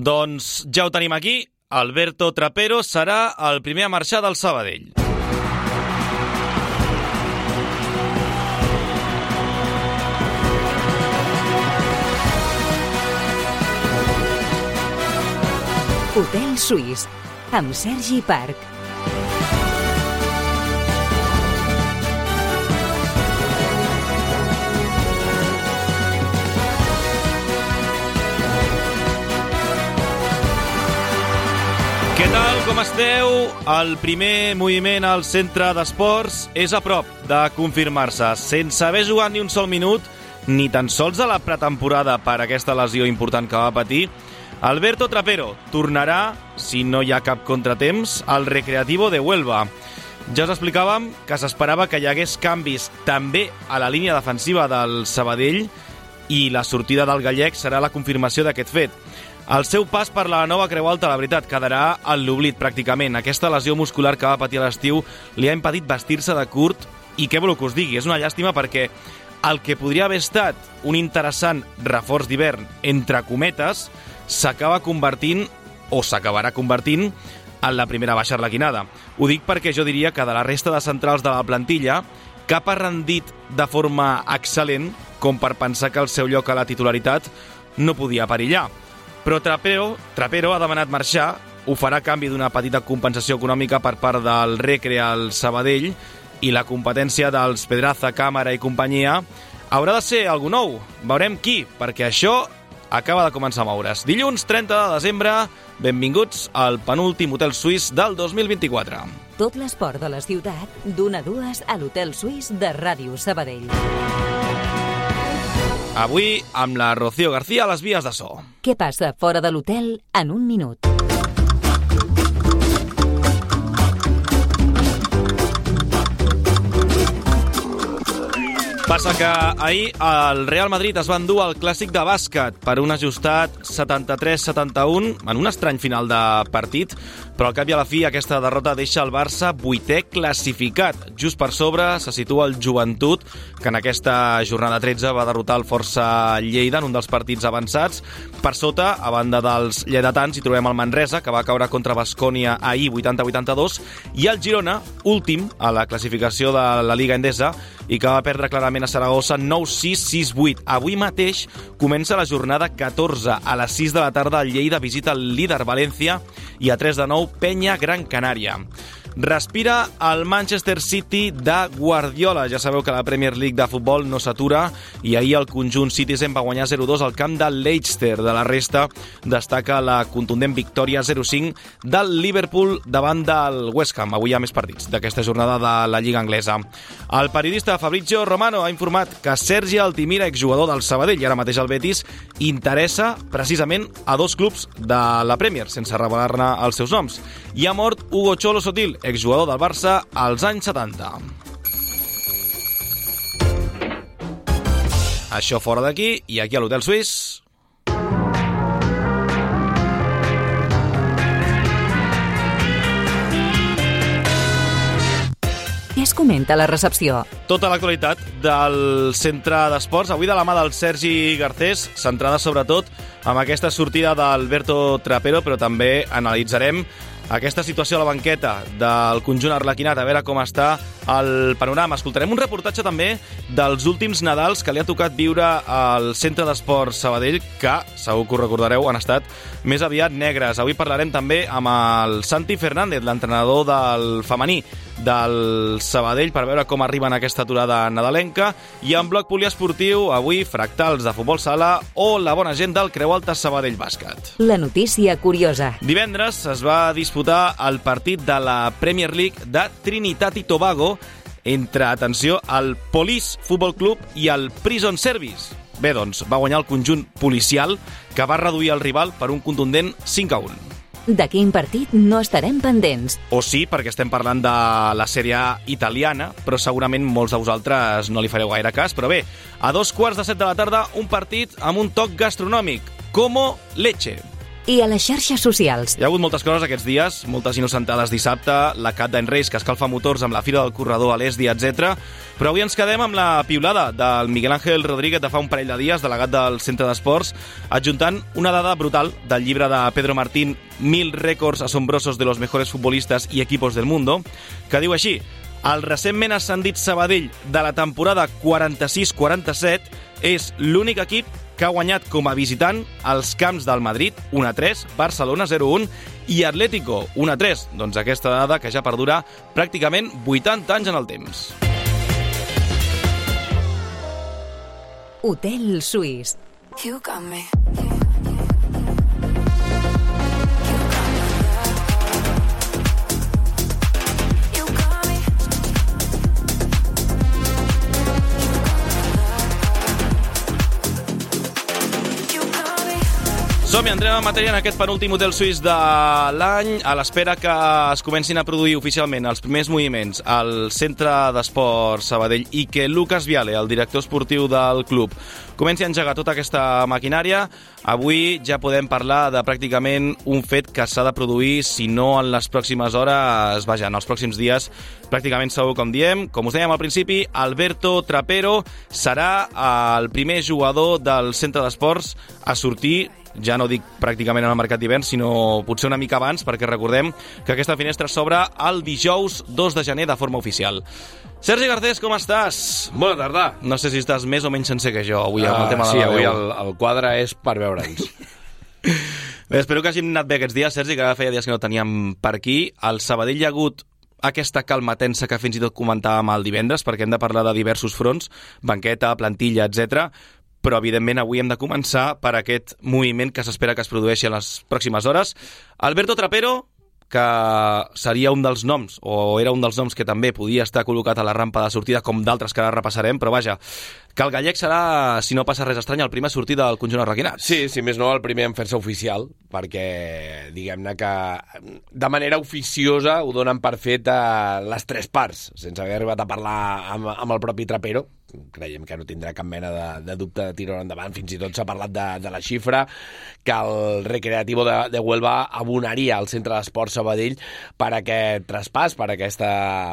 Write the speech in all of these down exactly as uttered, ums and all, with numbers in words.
Doncs ja ho tenim aquí. Alberto Trapero serà el primer a marxar del Sabadell. Hotel Suís, amb Sergi Parc. Què tal, com esteu? El primer moviment al centre d'esports és a prop de confirmar-se, sense haver jugat ni un sol minut, ni tan sols a la pretemporada per aquesta lesió important que va patir. Alberto Trapero tornarà, si no hi ha cap contratemps, al Recreativo de Huelva. Ja us explicàvem que s'esperava que hi hagués canvis també a la línia defensiva del Sabadell i la sortida del gallec serà la confirmació d'aquest fet. El seu pas per la nova Creu Alta, la veritat, quedarà en l'oblit pràcticament. Aquesta lesió muscular que va patir a l'estiu li ha impedit vestir-se de curt i què voleu que us digui? És una llàstima perquè el que podria haver estat un interessant reforç d'hivern, entre cometes, s'acaba convertint, o s'acabarà convertint, en la primera baixa arlequinada. Ho dic perquè jo diria que de la resta de centrals de la plantilla, cap ha rendit de forma excel·lent com per pensar que el seu lloc a la titularitat no podia perillar. Però Trapero, Trapero ha demanat marxar, ho farà a canvi d'una petita compensació econòmica per part del Recre al Sabadell i la competència dels Pedraza, Càmera i companyia haurà de ser algú nou. Veurem qui, perquè això acaba de començar a moure's. Dilluns trenta de desembre, benvinguts al penúltim Hotel Suís del dos mil vint-i-quatre. Tot l'esport de la ciutat, d'una a dues a l'Hotel Suís de Ràdio Sabadell. Avui amb la Rocío García a les vies de so. Què passa fora de l'hotel en un minut? Passa que ahir el Real Madrid es va endur al clàssic de bàsquet per un ajustat setanta-tres setanta-un en un estrany final de partit, però al cap i a la fi aquesta derrota deixa el Barça vuitè classificat. Just per sobre se situa el Joventut, que en aquesta jornada tretze va derrotar el Força Lleida en un dels partits avançats. Per sota, a banda dels lleidatans, hi trobem el Manresa, que va caure contra Baskònia ahir vuitanta a vuitanta-dos, i el Girona, últim a la classificació de la Liga Endesa, i que va perdre clarament a Saragossa nou sis sis vuit. Avui mateix comença la jornada catorze. A les sis de la tarda el Lleida visita el líder València i a tres de nou Penya Gran Canària. Respira el Manchester City de Guardiola. Ja sabeu que la Premier League de futbol no s'atura i ahir el conjunt Citizen va guanyar zero dos al camp del Leicester. De la resta destaca la contundent victòria zero cinc del Liverpool davant del West Ham. Avui hi ha més partits d'aquesta jornada de la Lliga Anglesa. El periodista Fabrizio Romano ha informat que Sergi Altimira, exjugador del Sabadell i ara mateix el Betis, interessa precisament a dos clubs de la Premier, sense revelar-ne els seus noms. I ha mort Hugo Cholo Sotil, exjugador del Barça als anys setanta. Això fora d'aquí i aquí a l'Hotel Suís. Què es comenta a la recepció? Tota l'actualitat del centre d'esports, avui de la mà del Sergi Garcés, centrada sobretot amb aquesta sortida d'Alberto Trapero, però també analitzarem aquesta situació a la banqueta del conjunt arlequinat, a veure com està el panorama. Escoltarem un reportatge també dels últims Nadals que li ha tocat viure al Centre d'Esports Sabadell, que, segur que ho recordareu, han estat més aviat negres. Avui parlarem també amb el Santi Fernández, l'entrenador del femení del Sabadell, per veure com arriben a aquesta aturada nadalenca. I en bloc poliesportiu, avui fractals de futbol sala o la bona gent del Creu Alta Sabadell Bàsquet. La notícia curiosa. Divendres es va disputar el partit de la Premier League de Trinitat i Tobago entre, atenció, el Police Football Club i el Prison Service. Bé, doncs, va guanyar el conjunt policial, que va reduir el rival per un contundent cinc a un. De quin partit no estarem pendents? O sí, perquè estem parlant de la Sèrie A italiana, però segurament molts de vosaltres no li fareu gaire cas. Però bé, a dos quarts de set de la tarda, un partit amb un toc gastronòmic. Como leche. i a les xarxes socials. Hi ha hagut moltes coses aquests dies, moltes innocentades dissabte, la Cat d'en Reis que escalfa motors amb la Fira del Corredor a l'Esdi, etcètera. Però avui ens quedem amb la piulada del Miguel Ángel Rodríguez de fa un parell de dies, delegat del Centre d'Esports, adjuntant una dada brutal del llibre de Pedro Martín, Mil récords asombrosos de los mejores futbolistas y equipos del mundo, que diu així: el recentment ascendit Sabadell de la temporada quaranta-sis quaranta-set és l'únic equip que ha guanyat com a visitant els camps del Madrid un a tres, Barcelona zero a un i Atlético un a tres. Doncs aquesta dada que ja perdura pràcticament vuitanta anys en el temps. Hotel Suís. You got me. Som-hi, entrem en matèria en aquest penúltim hotel suís de l'any, a l'espera que es comencin a produir oficialment els primers moviments al Centre d'Esports Sabadell i que Lucas Viale, el director esportiu del club, comenci a engegar tota aquesta maquinària. Avui ja podem parlar de pràcticament un fet que s'ha de produir, si no en les pròximes hores, vaja, en els pròxims dies, pràcticament segur, com diem. Com us dèiem al principi, Alberto Trapero serà el primer jugador del Centre d'Esports a sortir, ja no dic pràcticament en el mercat d'hivern, sinó potser una mica abans, perquè recordem que aquesta finestra s'obre el dijous dos de gener de forma oficial. Sergi Garcés, com estàs? Bona tarda. No sé si estàs més o menys sencer que jo avui amb uh, el tema sí, de la avui veu. el, el quadre és per veure'ns. Bé, espero que hàgim anat bé aquests dies, Sergi, que feia dies que no teníem per aquí. Al Sabadell hi ha hagut aquesta calma tensa que fins i tot comentàvem el divendres, perquè hem de parlar de diversos fronts, banqueta, plantilla, etcètera. Però, evidentment, avui hem de començar per aquest moviment que s'espera que es produeixi en les pròximes hores. Alberto Trapero, que seria un dels noms, o era un dels noms que també podia estar col·locat a la rampa de sortida, com d'altres que ara repassarem, però vaja, que el gallec serà, si no passa res estrany, el primer a sortir del conjunt arlequinat. Sí, si més no, el primer en fer-se oficial, perquè, diguem-ne que de manera oficiosa ho donen per fet a les tres parts, sense haver arribat a parlar amb, amb el propi Trapero. Creiem que no tindrà cap mena de, de dubte de tirar endavant. Fins i tot s'ha parlat de, de la xifra que el Recreativo de, de Huelva abonaria al Centre d'Esports Sabadell per aquest traspàs, per, aquesta,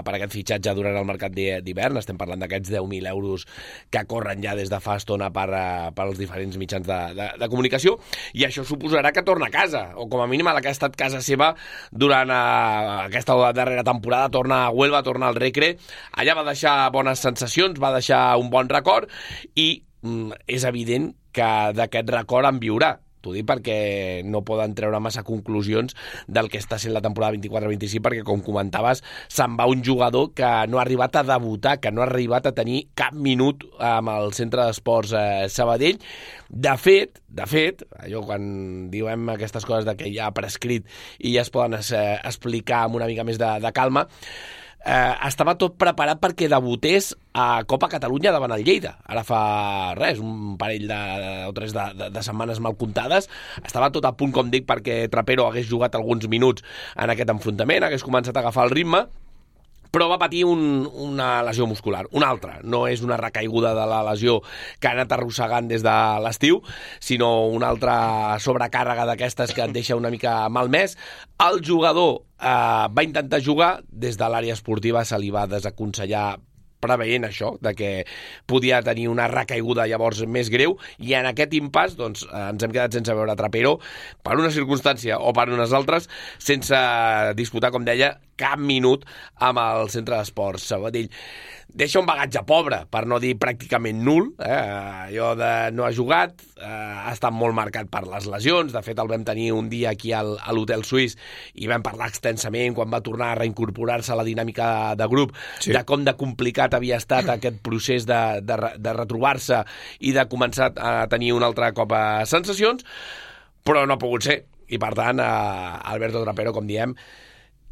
per aquest fitxatge durant el mercat d'hivern. Estem parlant d'aquests deu mil euros que corren ja des de fa estona per, per als diferents mitjans de, de, de comunicació, i això suposarà que torna a casa, o com a mínim a la que ha estat casa seva durant uh, aquesta darrera temporada. Torna a Huelva, torna al Recre. Allà va deixar bones sensacions, va deixar un bon record, i mm, és evident que d'aquest record en viurà. T'ho dic perquè no poden treure massa conclusions del que està sent la temporada vint-i-quatre vint-i-cinc, perquè, com comentaves, se'n va un jugador que no ha arribat a debutar, que no ha arribat a tenir cap minut amb el Centre d'Esports eh, Sabadell. De fet, de fet, allò quan diem aquestes coses de que ja ha prescrit i ja es poden eh, explicar amb una mica més de, de calma, Eh, estava tot preparat perquè debutés a Copa Catalunya davant el Lleida. Ara fa res, un parell de, o tres de, de, de setmanes mal comptades. Estava tot a punt, com dic, perquè Trapero hagués jugat alguns minuts en aquest enfrontament, hagués començat a agafar el ritme, però va patir un, una lesió muscular, una altra. No és una recaiguda de la lesió que ha anat arrossegant des de l'estiu, sinó una altra sobrecàrrega d'aquestes que et deixa una mica malmès. El jugador eh, va intentar jugar, des de l'àrea esportiva se li va desaconsellar, preveient això, de que podia tenir una recaiguda llavors més greu, i en aquest impàs doncs, ens hem quedat sense veure Trapero per una circumstància o per unes altres, sense disputar, com deia, cap minut amb el Centre d'Esports Sabadell. Deixa un bagatge pobre, per no dir pràcticament nul, eh? Allò de no ha jugat, eh, ha estat molt marcat per les lesions. De fet, el vam tenir un dia aquí al, a l'Hotel Suís i vam parlar extensament quan va tornar a reincorporar-se a la dinàmica de, de grup, sí, de com de complicat havia estat aquest procés de, de, de retrobar-se i de començar a tenir un altre cop a sensacions, però no ha pogut ser. I, per tant, eh, Alberto Trapero, com diem,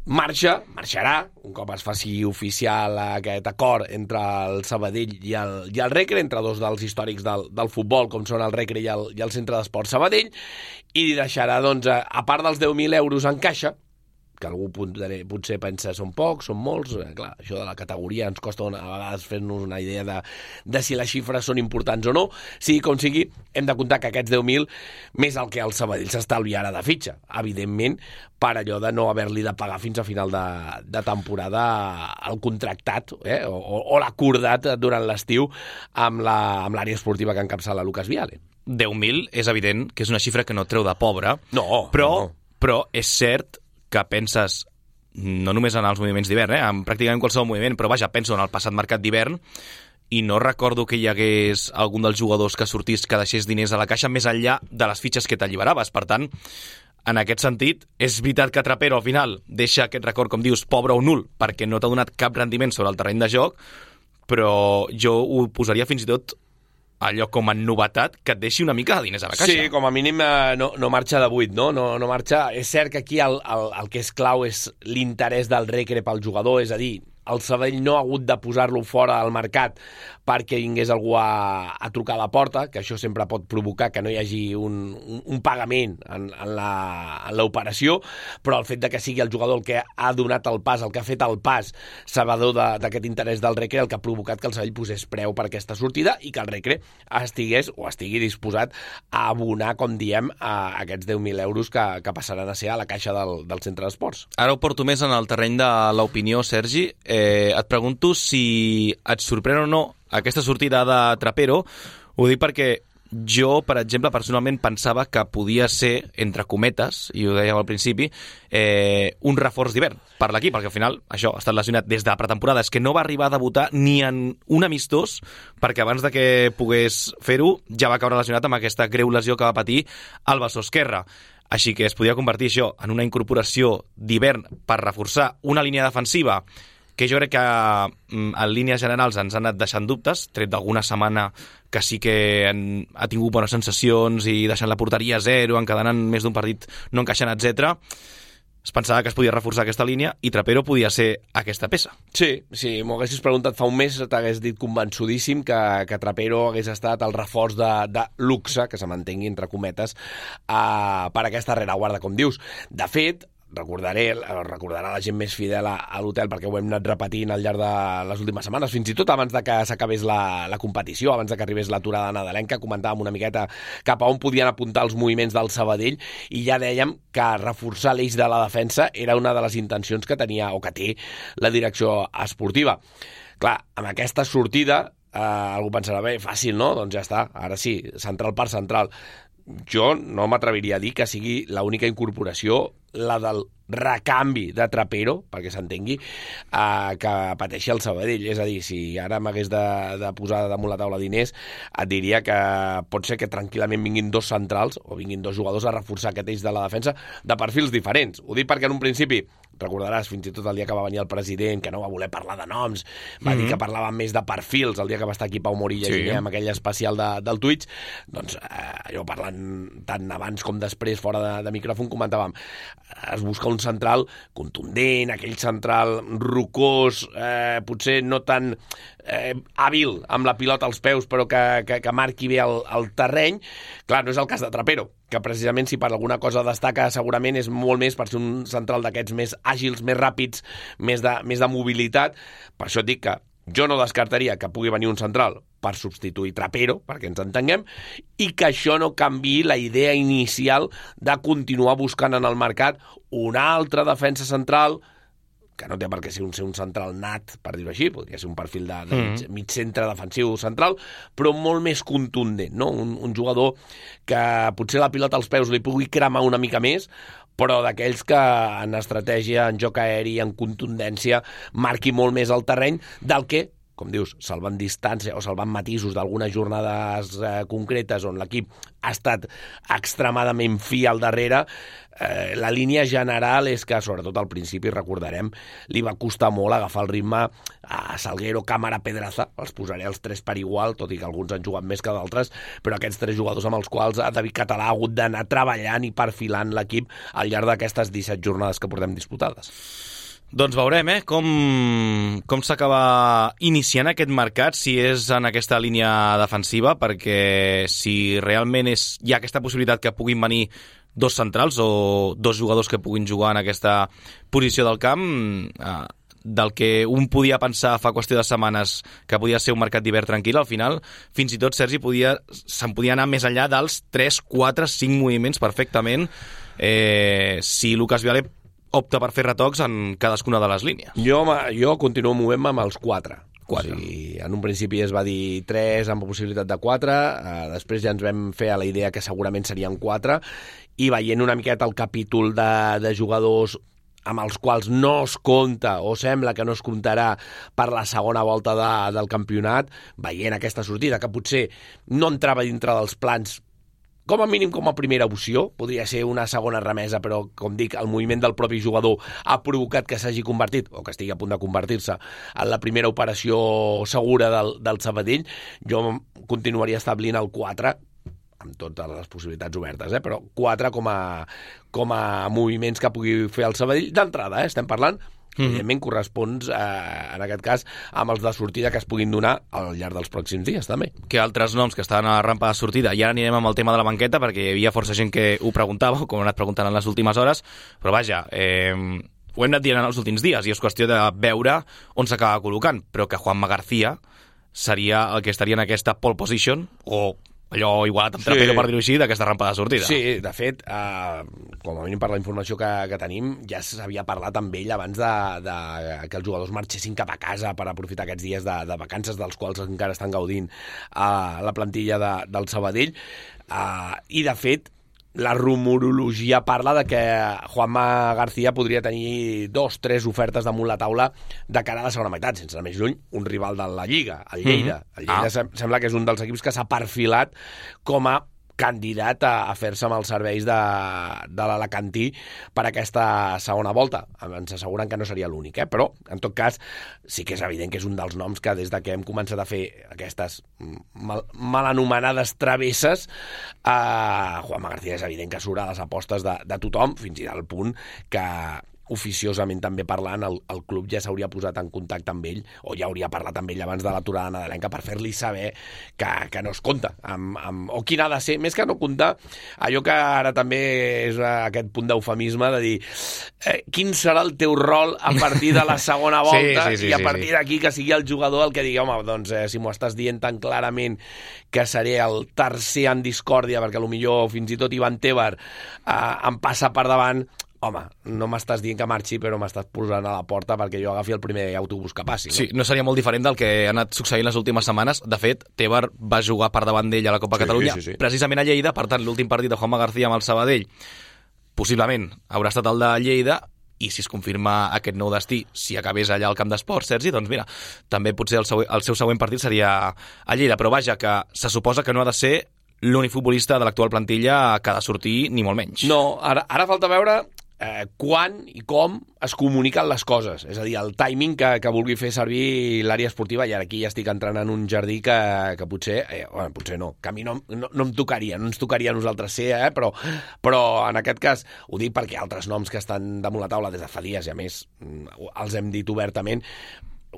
marxa, marxarà, un cop es faci oficial aquest acord entre el Sabadell i el, i el Recre, entre dos dels històrics del, del futbol, com són el Recre i el, i el Centre d'Esports Sabadell, i deixarà, doncs, a, a part dels deu mil euros en caixa, que algú potser pensa són pocs, són molts, eh, clar, això de la categoria ens costa una, a vegades fer-nos una idea de, de si les xifres són importants o no. Sigui com sigui, hem de comptar que aquests deu mil, més el que el Sabadell s'estalviarà de fitxa, evidentment, per allò de no haver-li de pagar fins a final de, de temporada el contractat eh, o, o l'acordat durant l'estiu amb l'àrea esportiva que encapçala Lucas Viale. deu mil és evident que és una xifra que no treu de pobre, no, però, no. però és cert que penses no només en els moviments d'hivern, eh, en pràcticament qualsevol moviment, però vaja, penso en el passat mercat d'hivern i no recordo que hi hagués algun dels jugadors que sortís que deixés diners a la caixa més enllà de les fitxes que t'alliberaves. Per tant, en aquest sentit, és veritat que Trapero al final deixa aquest record, com dius, pobre o nul, perquè no t'ha donat cap rendiment sobre el terreny de joc, però jo ho posaria fins i tot allò com a novetat que et deixi una mica de diners a la caixa. Sí, com a mínim eh, no, no marxa de buit, no? No, no marxa... És cert que aquí el, el, el que és clau és l'interès del Recre pel jugador, és a dir, el Sabadell no ha hagut de posar-lo fora del mercat perquè vingués algú a, a trucar a la porta, que això sempre pot provocar que no hi hagi un, un, un pagament en, en l'operació, però el fet de que sigui el jugador el que ha donat el pas, el que ha fet el pas sabedor d'aquest interès del Recre, el que ha provocat que el Sabadell posés preu per aquesta sortida i que el Recre estigués o estigui disposat a abonar, com diem, a aquests deu mil euros que, que passaran a ser a la caixa del, del centre d'esports. Ara ho porto més en el terreny de l'opinió, Sergi. Eh, et pregunto si et sorprèn o no aquesta sortida de Trapero. Ho dic perquè jo, per exemple, personalment pensava que podia ser, entre cometes, i ho dèiem al principi, eh, un reforç d'hivern per l'equip, perquè al final això ha estat lesionat des de la pretemporada. És que no va arribar a debutar ni en un amistós, perquè abans de que pogués fer-ho ja va caure lesionat amb aquesta greu lesió que va patir al bessó esquerre. Així que es podia convertir això en una incorporació d'hivern per reforçar una línia defensiva que jo crec que en línies generals ens han anat deixant dubtes, tret d'alguna setmana que sí que han, ha tingut bones sensacions i deixant la porteria a zero, encadenant més d'un partit no encaixant, etcètera. Es pensava que es podia reforçar aquesta línia i Trapero podia ser aquesta peça. Sí, sí, m'ho haguessis preguntat fa un mes, t'hagués dit convençudíssim que, que Trapero hagués estat el reforç de, de luxe, que se mantengui entre cometes, uh, per aquesta rereguarda, com dius. De fet, recordaré, recordarà la gent més fidel a, a l'hotel, perquè ho hem anat repetint al llarg de les últimes setmanes, fins i tot abans de que s'acabés la, la competició, abans de que arribés l'aturada nadalenca, comentàvem una miqueta cap a on podien apuntar els moviments del Sabadell i ja dèiem que reforçar l'eix de la defensa era una de les intencions que tenia o que té la direcció esportiva. Clar, amb aquesta sortida eh, algú pensarà, bé, fàcil, no? Doncs ja està, ara sí, central per central. Jo no m'atreviria a dir que sigui l'única incorporació, la del recanvi de Trapero, perquè s'entengui, eh, que pateixi el Sabadell. És a dir, si ara m'hagués de, de posar damunt la taula diners, et diria que pot ser que tranquil·lament vinguin dos centrals o vinguin dos jugadors a reforçar aquest eix de la defensa de perfils diferents. Ho dic perquè en un principi, recordaràs, fins i tot el dia que va venir el president, que no va voler parlar de noms, va mm-hmm. dir que parlava més de perfils, el dia que va estar aquí Pau Morilla sí. amb aquell especial de, del Twitch, doncs eh, jo parlant tant abans com després fora de, de micròfon comentàvem, es busca un central contundent, aquell central rocós, eh, potser no tan eh, hàbil amb la pilota als peus, però que, que, que marqui bé el, el terreny. Clar, no és el cas de Trapero, que precisament si per alguna cosa destaca segurament és molt més per ser un central d'aquests més àgils, més ràpids, més de, més de mobilitat. Per això et dic que jo no descartaria que pugui venir un central per substituir Trapero, perquè ens entenguem, i que això no canviï la idea inicial de continuar buscant en el mercat una altra defensa central, que no té per què ser un, ser un central nat, per dir-ho així, podria ser un perfil de, de mig, mm. mig centre defensiu central, però molt més contundent, no? Un, un jugador que potser la pilota als peus li pugui cremar una mica més, però d'aquells que en estratègia, en joc aeri, en contundència, marqui molt més el terreny del que, com dius, salvant distància o salvant matisos d'algunes jornades eh, concretes on l'equip ha estat extremadament fi al darrere, eh, la línia general és que, sobretot al principi, recordarem, li va costar molt agafar el ritme a Salguero, Càmara, Pedraza, els posaré els tres per igual, tot i que alguns han jugat més que d'altres, però aquests tres jugadors amb els quals David Català ha hagut d'anar treballant i perfilant l'equip al llarg d'aquestes disset jornades que portem disputades. Doncs veurem eh, com, com s'acaba iniciant aquest mercat, si és en aquesta línia defensiva, perquè si realment és, hi ha aquesta possibilitat que puguin venir dos centrals o dos jugadors que puguin jugar en aquesta posició del camp, eh, del que un podia pensar fa qüestió de setmanes que podia ser un mercat d'hivern tranquil, al final fins i tot Sergi podia, se'n podia anar més enllà dels tres, quatre, cinc moviments perfectament eh, si Lucas Viale opta per fer retocs en cadascuna de les línies. Jo, jo continuo movent-me amb els quatre. quatre. O sigui, en un principi es va dir tres amb possibilitat de quatre, eh, després ja ens vam fer a la idea que segurament serien quatre, i veient una miqueta el capítol de, de jugadors amb els quals no es compta o sembla que no es comptarà per la segona volta de, del campionat, veient aquesta sortida que potser no entrava dintre dels plans com a mínim com a primera opció, podria ser una segona remesa, però, com dic, el moviment del propi jugador ha provocat que s'hagi convertit, o que estigui a punt de convertir-se, en la primera operació segura del, del Sabadell. Jo continuaria establint el quatre, amb totes les possibilitats obertes, eh? Però quatre com a, com a moviments que pugui fer el Sabadell d'entrada, eh? Estem parlant, mm. evidentment correspons, eh, en aquest cas, amb els de sortida que es puguin donar al llarg dels pròxims dies, també. Que altres noms que estaven a la rampa de sortida, i ara anirem amb el tema de la banqueta, perquè hi havia força gent que ho preguntava, com he anat preguntant en les últimes hores, però vaja, eh, ho hem anat dient en els últims dies, i és qüestió de veure on s'acaba col·locant, però que Juanma García seria el que estaria en aquesta pole position, o allò igualat amb sí. trapero, per dir-ho així, d'aquesta rampa de sortida. Sí, de fet, eh, com a mínim per la informació que, que tenim, ja s'havia parlat amb ell abans de, de que els jugadors marxessin cap a casa per aprofitar aquests dies de, de vacances dels quals encara estan gaudint eh, la plantilla de, del Sabadell. Eh, I, de fet, la rumorologia parla de que Juanma García podria tenir dos, tres ofertes damunt la taula de cara a la segona meitat, sense anar més lluny, un rival de la Lliga, el Lleida. Mm-hmm. El Lleida ah. sembla que és un dels equips que s'ha perfilat com a candidat a, a fer-se amb els serveis de, de l'Alacantí per aquesta segona volta. Ens asseguren que no seria l'únic, eh? Però, en tot cas, sí que és evident que és un dels noms que des de que hem començat a fer aquestes mal, mal anomenades travesses, eh, Juanma García és evident que surt a les apostes de, de tothom, fins i tot al punt que oficiosament també parlant, el, el club ja s'hauria posat en contacte amb ell, o ja hauria parlat amb ell abans de l'aturada nadalenca per fer-li saber que, que no es compta, amb, amb, o quin ha de ser, més que no comptar, allò que ara també és aquest punt d'eufemisme de dir eh, quin serà el teu rol a partir de la segona volta, sí, sí, sí, i a partir sí, sí. d'aquí que sigui el jugador el que digui, home, doncs eh, si m'ho estàs dient tan clarament que seré el tercer en discòrdia, perquè potser fins i tot Ivan Tebar eh, em passa per davant, home, no m'estàs dient que marxi, però m'estàs posant a la porta perquè jo agafi el primer autobús que passi. No? Sí, no seria molt diferent del que ha anat succeint les últimes setmanes. De fet, Tebar va jugar per davant d'ell a la Copa sí, Catalunya, sí, sí. precisament a Lleida, per tant, l'últim partit de Juanma García amb el Sabadell possiblement haurà estat el de Lleida, i si es confirma aquest nou destí, si acabés allà al camp d'esports, Sergi, doncs mira, també potser el seu, el seu següent partit seria a Lleida, però vaja, que se suposa que no ha de ser l'únic futbolista de l'actual plantilla que ha de sortir, ni molt menys. No, ara, ara falta veure Eh, quan i com es comuniquen les coses, és a dir, el timing que, que vulgui fer servir l'àrea esportiva, i ara aquí ja estic entrant en un jardí que, que potser, eh, bueno, potser no, que a mi no, no, no em tocaria, no ens tocaria a nosaltres ser, eh, però, però en aquest cas ho dic perquè altres noms que estan damunt la taula des de fa dies, i a més els hem dit obertament,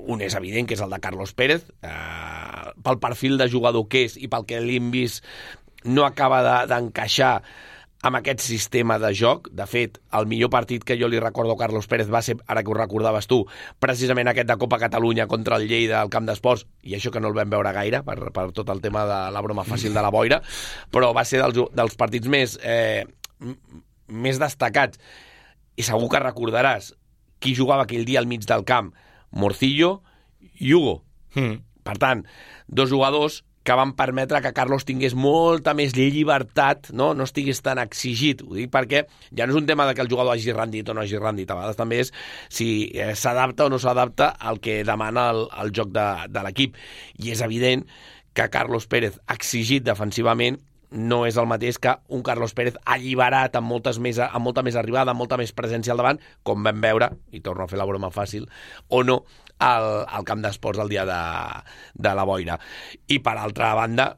un és evident, que és el de Carlos Pérez, eh, pel perfil de jugador que és i pel que l'hem vist no acaba de, d'encaixar amb aquest sistema de joc. De fet, el millor partit que jo li recordo a Carlos Pérez va ser, ara que ho recordaves tu, precisament aquest de Copa Catalunya contra el Lleida al camp d'esports, i això que no el vam veure gaire per, per tot el tema de la broma fàcil de la boira, però va ser dels, dels partits més, eh, més destacats. I segur que recordaràs qui jugava aquell dia al mig del camp, Morcillo i Hugo. Mm. Per tant, dos jugadors que van permetre que Carlos tingués molta més llibertat, no, no estigués tan exigit. Ho dic perquè ja no és un tema de que el jugador hagi rendit o no hagi rendit, a vegades també és si eh, s'adapta o no s'adapta al que demana el, el joc de, de l'equip. I és evident que Carlos Pérez, exigit defensivament, no és el mateix que un Carlos Pérez alliberat amb, moltes més, amb molta més arribada, amb molta més presència al davant, com vam veure, i torno a fer la broma fàcil, o no, al, al camp d'esports el dia de, de la boira. I per altra banda,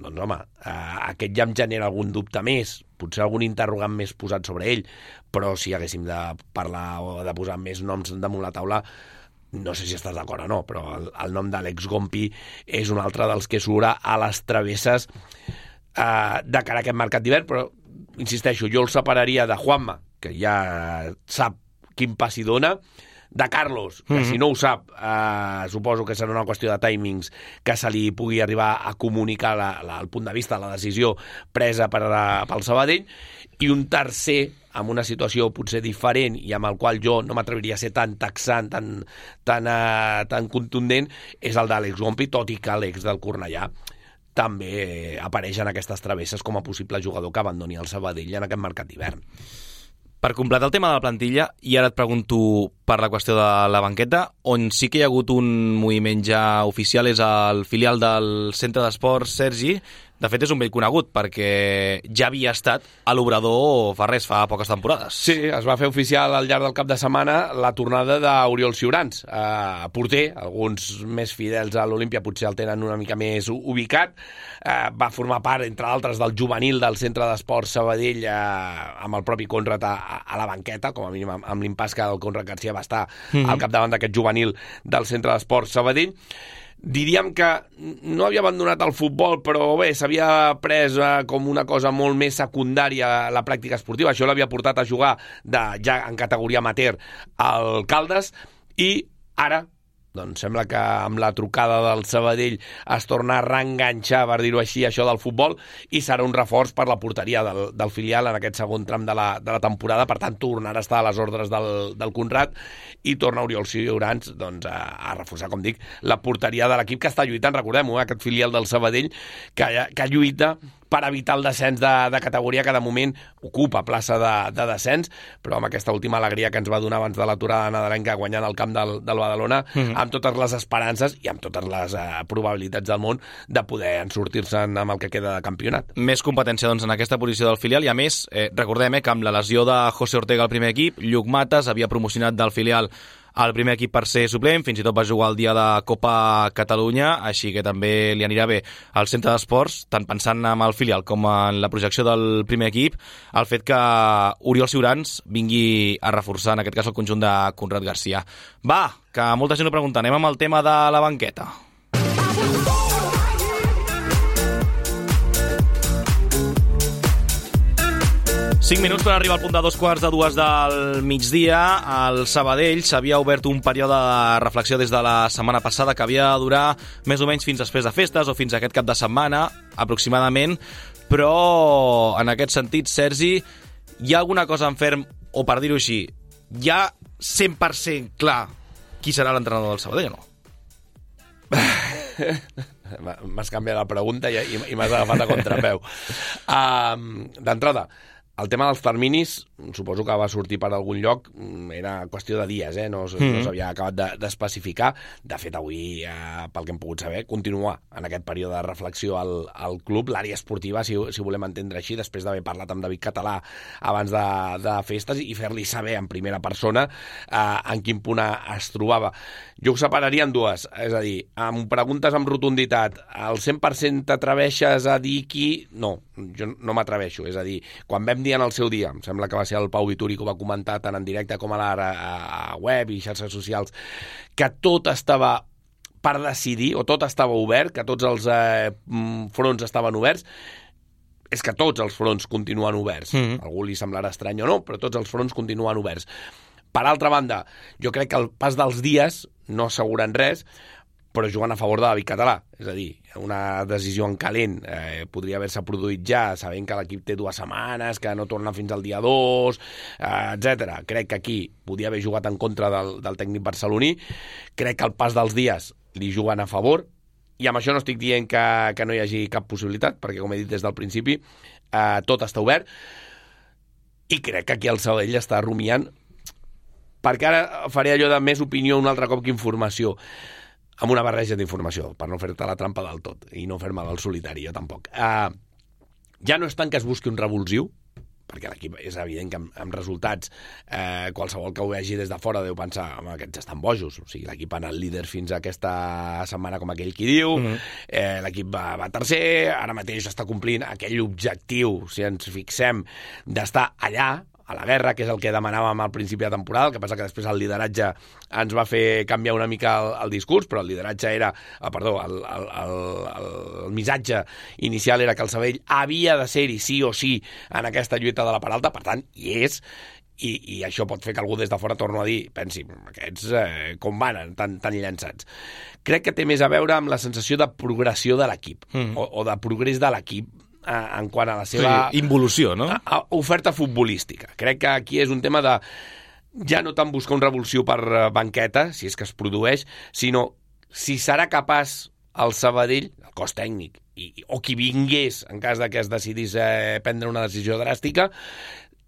doncs home, eh, aquest ja em genera algun dubte més, potser algun interrogant més posat sobre ell, però si haguéssim de parlar o de posar més noms damunt la taula, no sé si estàs d'acord o no, però el, el nom d'Àlex Gompi és un altre dels que surt a les travesses eh, de cara a aquest mercat d'hivern, però insisteixo, jo el separaria de Juanma, que ja sap quin pas hi dona, de Carlos, que mm-hmm. si no ho sap, eh, suposo que serà una qüestió de timings que se li pugui arribar a comunicar la, la, el punt de vista, la decisió presa per a, pel Sabadell, i un tercer amb una situació potser diferent i amb el qual jo no m'atreviria a ser tan taxant, tan, tan, uh, tan contundent, és el d'Àlex Gompi, tot i que l'ex del Cornellà també apareix en aquestes travesses com a possible jugador que abandoni el Sabadell en aquest mercat d'hivern. Per completar el tema de la plantilla, i ara et pregunto per la qüestió de la banqueta, on sí que hi ha hagut un moviment ja oficial és el filial del Centre d'Esports, Sergi. De fet, és un vell conegut, perquè ja havia estat a l'Obrador fa res, fa poques temporades. Sí, es va fer oficial al llarg del cap de setmana la tornada d'Oriol Ciurans, eh, porter, alguns més fidels a l'Olímpia potser el tenen una mica més ubicat, eh, va formar part, entre altres, del juvenil del Centre d'Esports Sabadell, eh, amb el propi Conrad a, a la banqueta, com a mínim amb, amb l'impàs que el Conrad García va estar mm-hmm. al capdavant d'aquest juvenil del Centre d'Esports Sabadell. Diríem que no havia abandonat el futbol, però bé, s'havia pres eh, com una cosa molt més secundària la pràctica esportiva. Això l'havia portat a jugar de, ja en categoria amateur al Caldes, i ara doncs sembla que amb la trucada del Sabadell es torna a reenganxar, per dir-ho així, això del futbol, i serà un reforç per la porteria del, del filial en aquest segon tram de la, de la temporada. Per tant, tornarà a estar a les ordres del, del Conrad, i torna Oriol Ciurans doncs, a, a reforçar, com dic, la porteria de l'equip que està lluitant, recordem-ho, eh, aquest filial del Sabadell que, que lluita per evitar el descens de, de categoria, que de moment ocupa plaça de, de descens, però amb aquesta última alegria que ens va donar abans de l'aturada nadalenca guanyant el camp del, del Badalona, mm-hmm. amb totes les esperances i amb totes les uh, probabilitats del món de poder sortir-se'n amb el que queda de campionat. Més competència doncs, en aquesta posició del filial, i a més, eh, recordem eh, que amb la lesió de José Ortega al primer equip, Lluc Mates havia promocionat del filial al primer equip per ser suplent, fins i tot va jugar el dia de Copa Catalunya, així que també li anirà bé al Centre d'Esports, tant pensant en el filial com en la projecció del primer equip, el fet que Oriol Ciurans vingui a reforçar, en aquest cas, el conjunt de Conrad García. Va, que molta gent ho pregunta, anem amb el tema de la banqueta. Cinc minuts per arribar al punt de dos quarts de dues del migdia. Al Sabadell s'havia obert un període de reflexió des de la setmana passada que havia de durar més o menys fins després de festes o fins a aquest cap de setmana, aproximadament, però en aquest sentit, Sergi, hi ha alguna cosa en ferm, o per dir-ho així, hi ha cent per cent clar qui serà l'entrenador del Sabadell o no? M'has canviat la pregunta i, i m'has agafat a contrapeu. Uh, D'entrada, el tema dels terminis, suposo que va sortir per algun lloc, era qüestió de dies, eh? no, mm-hmm. no s'havia acabat d'especificar. De, de fet, avui, eh, pel que hem pogut saber, continua en aquest període de reflexió al, al club, l'àrea esportiva, si, si volem entendre així, després d'haver parlat amb David Català abans de, de festes i fer-li saber en primera persona eh, en quin punt es trobava. Jo ho separaria en dues, és a dir, em preguntes amb rotunditat, al cent per cent t'atreveixes a dir qui? No, jo no m'atreveixo, és a dir, quan vam dir en el seu dia, em sembla que va ser el Pau Vituri que ho va comentar tant en directe com a la a web i xarxes socials, que tot estava per decidir, o tot estava obert, que tots els eh, fronts estaven oberts. És que tots els fronts continuen oberts. Mm-hmm. A algú li semblarà estrany o no, però tots els fronts continuen oberts. Per altra banda, jo crec que el pas dels dies no asseguren res, però juguen a favor de David Català. És a dir, una decisió en calent eh, podria haver-se produït ja, sabent que l'equip té dues setmanes, que no torna fins al dia dos, eh, etcètera. Crec que aquí podia haver jugat en contra del, del tècnic barceloní. Crec que el pas dels dies li juguen a favor, i amb això no estic dient que, que no hi hagi cap possibilitat, perquè, com he dit des del principi, eh, tot està obert, i crec que aquí el Sabadell està rumiant, perquè ara faré allò de més opinió un altre cop que informació, amb una barreja d'informació, per no fer-te la trampa del tot, i no fer-me del solitari, jo tampoc. Uh, ja no és tant que es busqui un revulsiu, perquè l'equip és evident que amb, amb resultats eh, qualsevol que ho vegi des de fora deu pensar, home, aquests estan bojos, o sigui, l'equip ha anat líder fins a aquesta setmana, com aquell qui diu, mm-hmm. eh, l'equip va, va tercer, ara mateix està complint aquell objectiu, si ens fixem, d'estar allà, a la guerra, que és el que demanàvem al principi de temporada, el que passa que després el lideratge ens va fer canviar una mica el, el discurs, però el lideratge era, ah, perdó, el, el, el, el, el missatge inicial era que el Sabadell havia de ser-hi sí o sí en aquesta lluita de la part alta, per tant, hi és, i, i això pot fer que algú des de fora torno a dir, pensi, aquests eh, com van tan, tan llançats. Crec que té més a veure amb la sensació de progressió de l'equip, mm. o, o de progrés de l'equip, en quant a la seva... Sí, involució, no? A, a oferta futbolística. Crec que aquí és un tema de ja no tant buscar un revulsiu per banqueta, si és que es produeix, sinó si serà capaç el Sabadell, el cos tècnic, i, o qui vingués, en cas de que es decidís eh, prendre una decisió dràstica,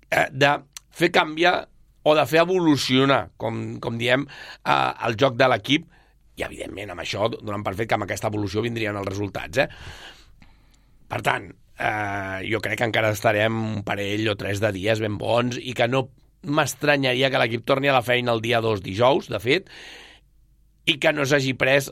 eh, de fer canviar o de fer evolucionar, com, com diem, eh, el joc de l'equip, i evidentment amb això donant per fet que amb aquesta evolució vindrien els resultats. Eh? Per tant, eh, jo crec que encara estarem un parell o tres de dies ben bons i que no m'estranyaria que l'equip torni a la feina el dia dos dijous, de fet, i que no s'hagi pres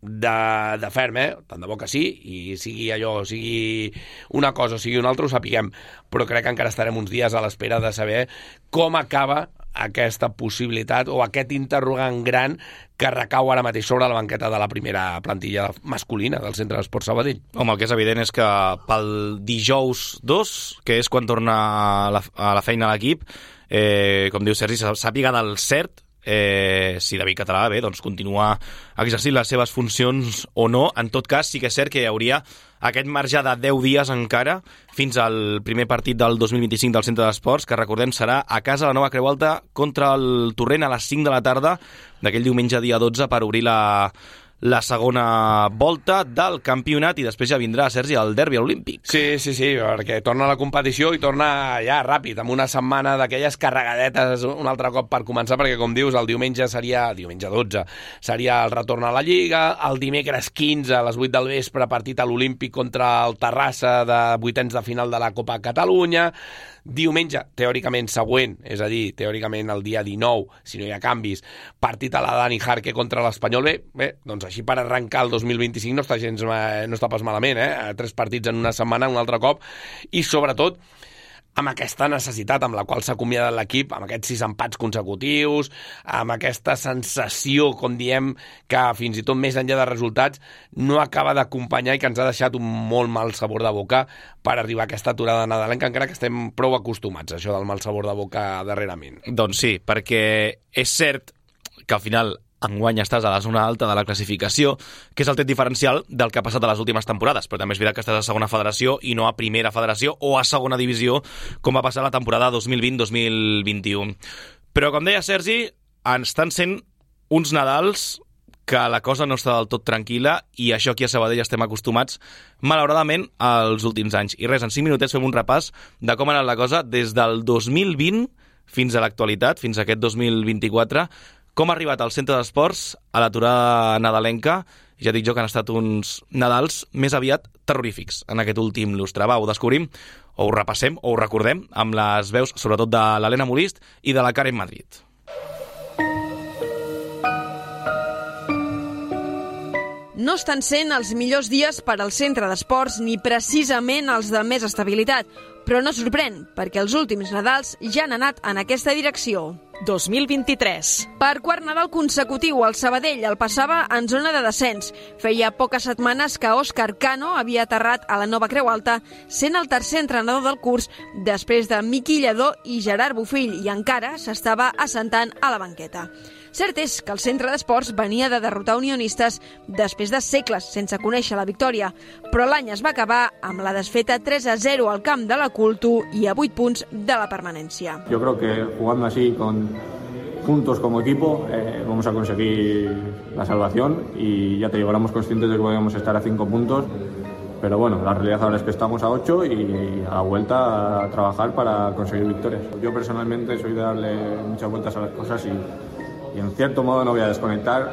de, de ferm, eh? Tant de bo que sí, i sigui allò, sigui una cosa o sigui una altra, ho sapiguem, però crec que encara estarem uns dies a l'espera de saber com acaba aquesta possibilitat o aquest interrogant gran que recau ara mateix sobre la banqueta de la primera plantilla masculina del Centre d'Esports Sabadell. Home, el que és evident és que pel dijous dos, que és quan torna a la, a la feina l'equip, eh, com diu Sergi, sàpiga del cert eh, si David Català, bé, doncs continua exercint les seves funcions o no. En tot cas, sí que és cert que hi hauria aquest marge de deu dies encara fins al primer partit del dos mil vint-i-cinc del Centre d'Esports, que recordem serà a casa a la Nova Creu Alta contra el Torrent a les cinc de la tarda d'aquell diumenge dia dotze per obrir la, la segona volta del campionat, i després ja vindrà, Sergi, el derbi olímpic. Sí, sí, sí, perquè torna a la competició i torna ja ràpid, amb una setmana d'aquelles carregadetes un altre cop per començar, perquè com dius, el diumenge seria, diumenge dotze, seria el retorn a la Lliga, el dimecres quinze a les vuit del vespre partit a l'Olímpic contra el Terrassa de vuitens de final de la Copa Catalunya, diumenge, teòricament següent, és a dir, teòricament el dia dinou, si no hi ha canvis, partit a la Dani Jarque contra l'Espanyol. Bé, bé, doncs així per arrencar el dos mil vint-i-cinc no està gens, no està pas malament, eh? Tres partits en una setmana, un altre cop, i sobretot amb aquesta necessitat amb la qual s'ha acomiadat l'equip, amb aquests sis empats consecutius, amb aquesta sensació, com diem, que fins i tot més enllà de resultats no acaba d'acompanyar i que ens ha deixat un molt mal sabor de boca per arribar a aquesta aturada nadalenca, encara que estem prou acostumats a això del mal sabor de boca darrerament. Doncs sí, perquè és cert que al final enguany estàs a la zona alta de la classificació, que és el tret diferencial del que ha passat a les últimes temporades, però també és veritat que estàs a segona federació i no a primera federació o a segona divisió, com va passar la temporada dos mil vint dos mil vint-i-u. Però, com deia Sergi, estan sent uns Nadals que la cosa no està del tot tranquil·la, i això aquí a Sabadell estem acostumats, malauradament, als últims anys. I res, en cinc minutets fem un repàs de com ha anat la cosa des del dos mil vint fins a l'actualitat, fins a aquest dos mil vint-i-quatre, com ha arribat al Centre d'Esports a l'aturada nadalenca. Ja dic jo que han estat uns Nadals més aviat terrorífics en aquest últim lustre. Va, ho descobrim, o ho repassem, o ho recordem, amb les veus, sobretot de l'Helena Molist i de la Karen Madrid. No estan sent els millors dies per al Centre d'Esports ni precisament els de més estabilitat, però no sorprèn, perquè els últims Nadals ja han anat en aquesta direcció. dos mil vint-i-tres. Per quart Nadal consecutiu, el Sabadell el passava en zona de descens. Feia poques setmanes que Òscar Cano havia aterrat a la Nova Creu Alta, sent el tercer entrenador del curs, després de Miqui Lledó i Gerard Bofill, i encara s'estava assentant a la banqueta. Cert és que el Centre d'Esports venia de derrotar Unionistes després de segles sense conèixer la victòria, però l'any es va acabar amb la desfeta tres a zero al camp de la Cultu i a vuit punts de la permanència. Yo creo que jugando así, con juntos como equipo, eh, vamos a conseguir la salvación, y ya te digo, éramos conscientes de que podíamos estar a cinco puntos, pero bueno, la realidad ahora es que estamos a ocho y a la vuelta a trabajar para conseguir victorias. Yo personalmente soy de darle muchas vueltas a las cosas y y en cierto modo no voy a desconectar,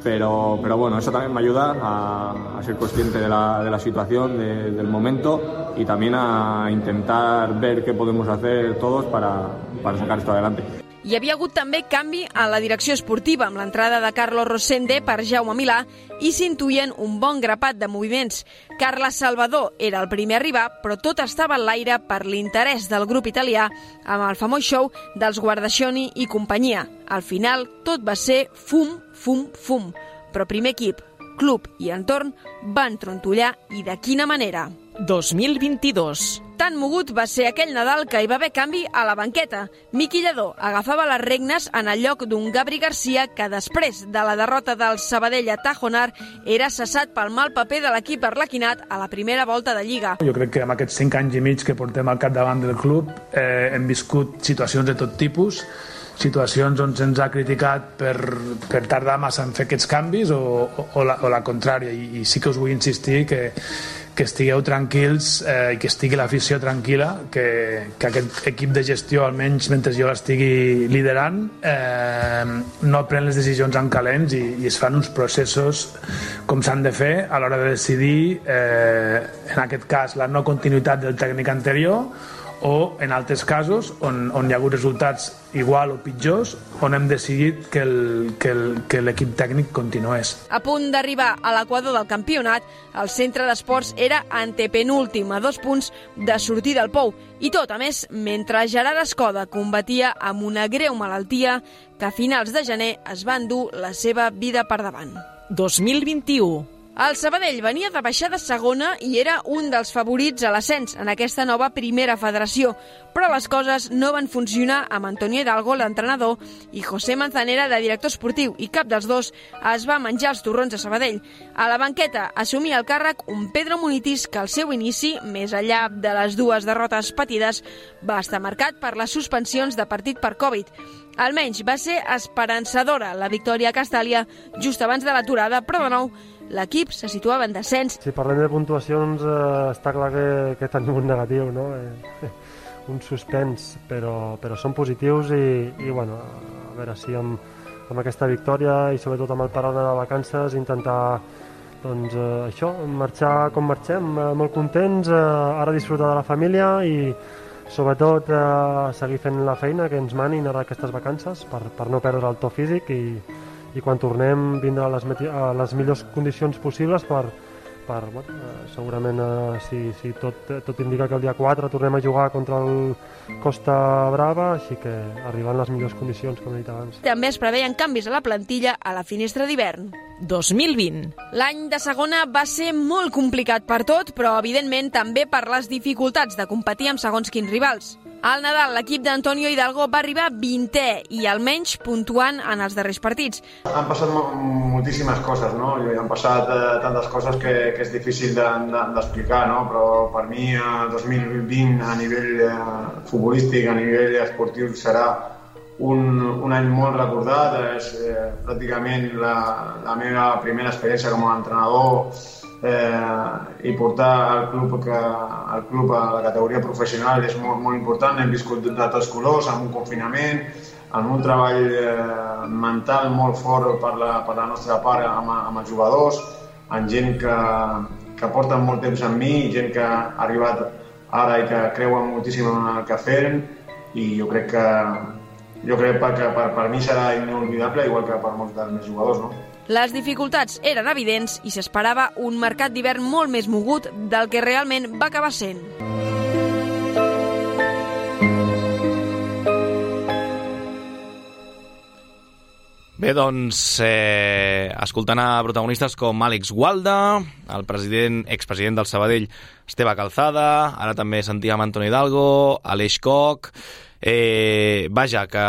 pero, pero bueno, eso también me ayuda a, a ser consciente de la, de la situación, de, del momento, y también a intentar ver qué podemos hacer todos para, para sacar esto adelante. Hi havia hagut també canvi a la direcció esportiva amb l'entrada de Carlos Rosende per Jaume Milà i s'intuïen un bon grapat de moviments. Carles Salvador era el primer a arribar, però tot estava en l'aire per l'interès del grup italià amb el famós show dels Guardascioni i companyia. Al final, tot va ser fum, fum, fum. Però primer equip, club i entorn van trontollar, i de quina manera. dos mil vint-i-dos. Tan mogut va ser aquell Nadal que hi va haver canvi a la banqueta. Miqui Lledó agafava les regnes en el lloc d'un Gabri Garcia que després de la derrota del Sabadell a Tajonar era cessat pel mal paper de l'equip arlequinat a la primera volta de Lliga. Jo crec que en aquests cinc anys i mig que portem al capdavant del club eh, hem viscut situacions de tot tipus, situacions on se'ns ha criticat per, per tardar massa en fer aquests canvis o, o, o, la, o la contrària, i, i sí que us vull insistir que que estigueu tranquils eh, i que estigui l'afició tranquil·la, que, que aquest equip de gestió, almenys mentre jo l'estigui liderant, eh, no pren les decisions en calents i, i es fan uns processos com s'han de fer a l'hora de decidir, eh, en aquest cas, la no continuïtat del tècnic anterior, o en altres casos on, on hi ha hagut resultats igual o pitjors, on hem decidit que el, que el, que l'equip tècnic continués. A punt d'arribar a l'equador del campionat, el centre d'esports era antepenúltim a dos punts de sortir del pou. I tot, a més, mentre Gerard Escoda combatia amb una greu malaltia que a finals de gener es va endur la seva vida per davant. dos mil vint-i-u. El Sabadell venia de baixar de segona i era un dels favorits a l'ascens en aquesta nova primera federació, però les coses no van funcionar amb Antonio Hidalgo, l'entrenador, i José Manzanera, de director esportiu, i cap dels dos es va menjar els torrons de Sabadell. A la banqueta assumia el càrrec un Pedro Munitis que al seu inici, més enllà de les dues derrotes patides, va estar marcat per les suspensions de partit per Covid. Almenys va ser esperançadora la victòria a Castàlia just abans de l'aturada, però de nou l'equip se situava en descens. Si parlem de puntuacions, eh, està clar que, que tenim un negatiu, no? Eh, un suspens, però, però són positius i, i bueno, a veure si amb, amb aquesta victòria i sobretot amb el període de vacances intentar doncs, eh, això, marxar com marxem, eh, molt contents, eh, ara disfrutar de la família i sobretot eh, seguir fent la feina que ens manin ara aquestes vacances per, per no perdre el to físic i i quan tornem vindrà a les, a les millors condicions possibles per, per bueno, eh, segurament eh, si, si tot, tot indica que el dia quatre tornem a jugar contra el Costa Brava, així que arribant les millors condicions, com he dit abans. També es preveien canvis a la plantilla a la finestra d'hivern. dos mil vint. L'any de segona va ser molt complicat per tot, però evidentment també per les dificultats de competir amb segons quins rivals. Al Nadal, l'equip d'Antonio Hidalgo va arribar vintè i almenys puntuant en els darrers partits. Han passat moltíssimes coses, no? I han passat eh, tantes coses que, que és difícil d'explicar, de, de, no? Però per mi el dos mil vint a nivell eh, futbolístic, a nivell esportiu serà un, un any molt recordat. És eh, pràcticament la, la meva primera experiència com a entrenador eh, i portar el club, que, el club a la categoria professional és molt, molt important. Hem viscut de tots colors, amb un confinament, amb un treball eh, mental molt fort per la, per la nostra part amb, amb els jugadors, amb gent que, que porta molt temps amb mi, gent que ha arribat ara i que creuen moltíssim en el que fem, i jo crec que jo crec que per, per mi serà inolvidable, igual que per molts dels meus jugadors, no? Les dificultats eren evidents i s'esperava un mercat d'hivern molt més mogut del que realment va acabar sent. Bé, doncs, eh, escoltant a protagonistes com Àlex Gualda, el president, expresident del Sabadell, Esteve Calzada, ara també sentíem Antonio Hidalgo, Aleix Koch. Eh, vaja, que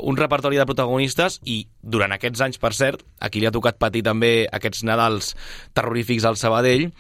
un repertori de protagonistes, i durant aquests anys, per cert, a qui li ha tocat patir també aquests Nadals terrorífics al Sabadell,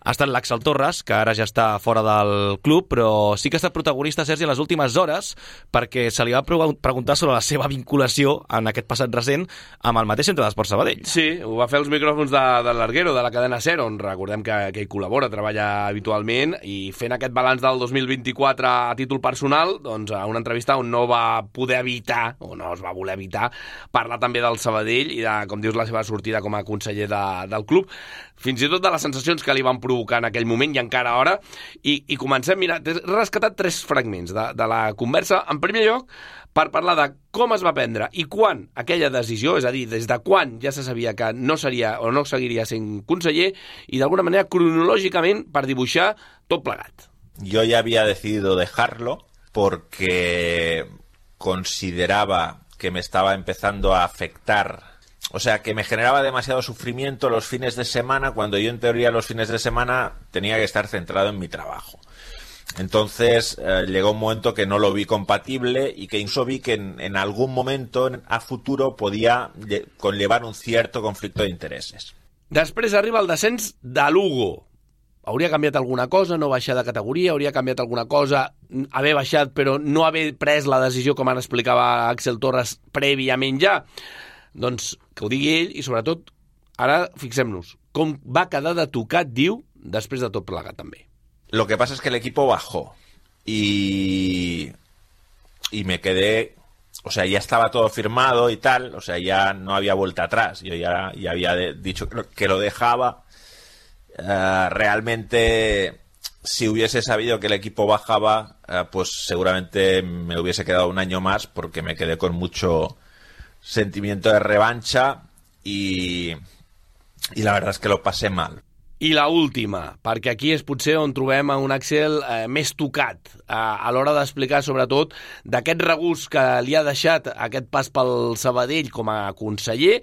ha estat l'Àxel Torres, que ara ja està fora del club, però sí que ha estat protagonista, Sergi, en les últimes hores, perquè se li va preguntar sobre la seva vinculació en aquest passat recent amb el mateix centre d'Esports Sabadell. Sí, ho va fer als micròfons de, de l'Arguero, de la cadena SER, on recordem que, que hi col·labora, treballa habitualment, i fent aquest balanç del dos mil vint-i-quatre a títol personal, doncs a una entrevista on no va poder evitar, o no es va voler evitar, parlar també del Sabadell i de, com dius, la seva sortida com a conseller de, del club, fins i tot de les sensacions que li van provar positiu que en aquell moment i encara ara, i, i comencem, mira, t'he rescatat tres fragments de, de la conversa. En primer lloc, per parlar de com es va prendre i quan aquella decisió, és a dir, des de quan ja se sabia que no seria o no seguiria sent conseller, i d'alguna manera cronològicament per dibuixar tot plegat. Yo ya había decidido dejarlo porque consideraba que me estaba empezando a afectar, o sea, que me generaba demasiado sufrimiento los fines de semana, cuando yo en teoría los fines de semana tenía que estar centrado en mi trabajo. Entonces eh, llegó un momento que no lo vi compatible y que incluso vi que en, en algún momento en, a futuro podía conllevar un cierto conflicto de intereses. Després arriba el descens de Lugo. Hauria canviat alguna cosa, no baixar de categoria, hauria canviat alguna cosa, haver baixat però no haver pres la decisió, com ara explicava Axel Torres, prèviament ja. Doncs que ho digui ell i sobretot, ara fixem-nos, com va quedar de tocat, diu, després de tot plegat també. Lo que pasa es que el equipo bajó y, y me quedé, o sea, ya estaba todo firmado y tal, o sea, ya no había vuelta atrás. Yo ya, ya había de, dicho que lo dejaba. Uh, realmente, si hubiese sabido que el equipo bajaba, uh, pues seguramente me hubiese quedado un año más porque me quedé con mucho sentimiento de revancha y, y la verdad es que lo pasé mal. I la última, perquè aquí és potser on trobem un Axel eh, més tocat eh, a l'hora d'explicar sobretot d'aquest regust que li ha deixat aquest pas pel Sabadell com a conseller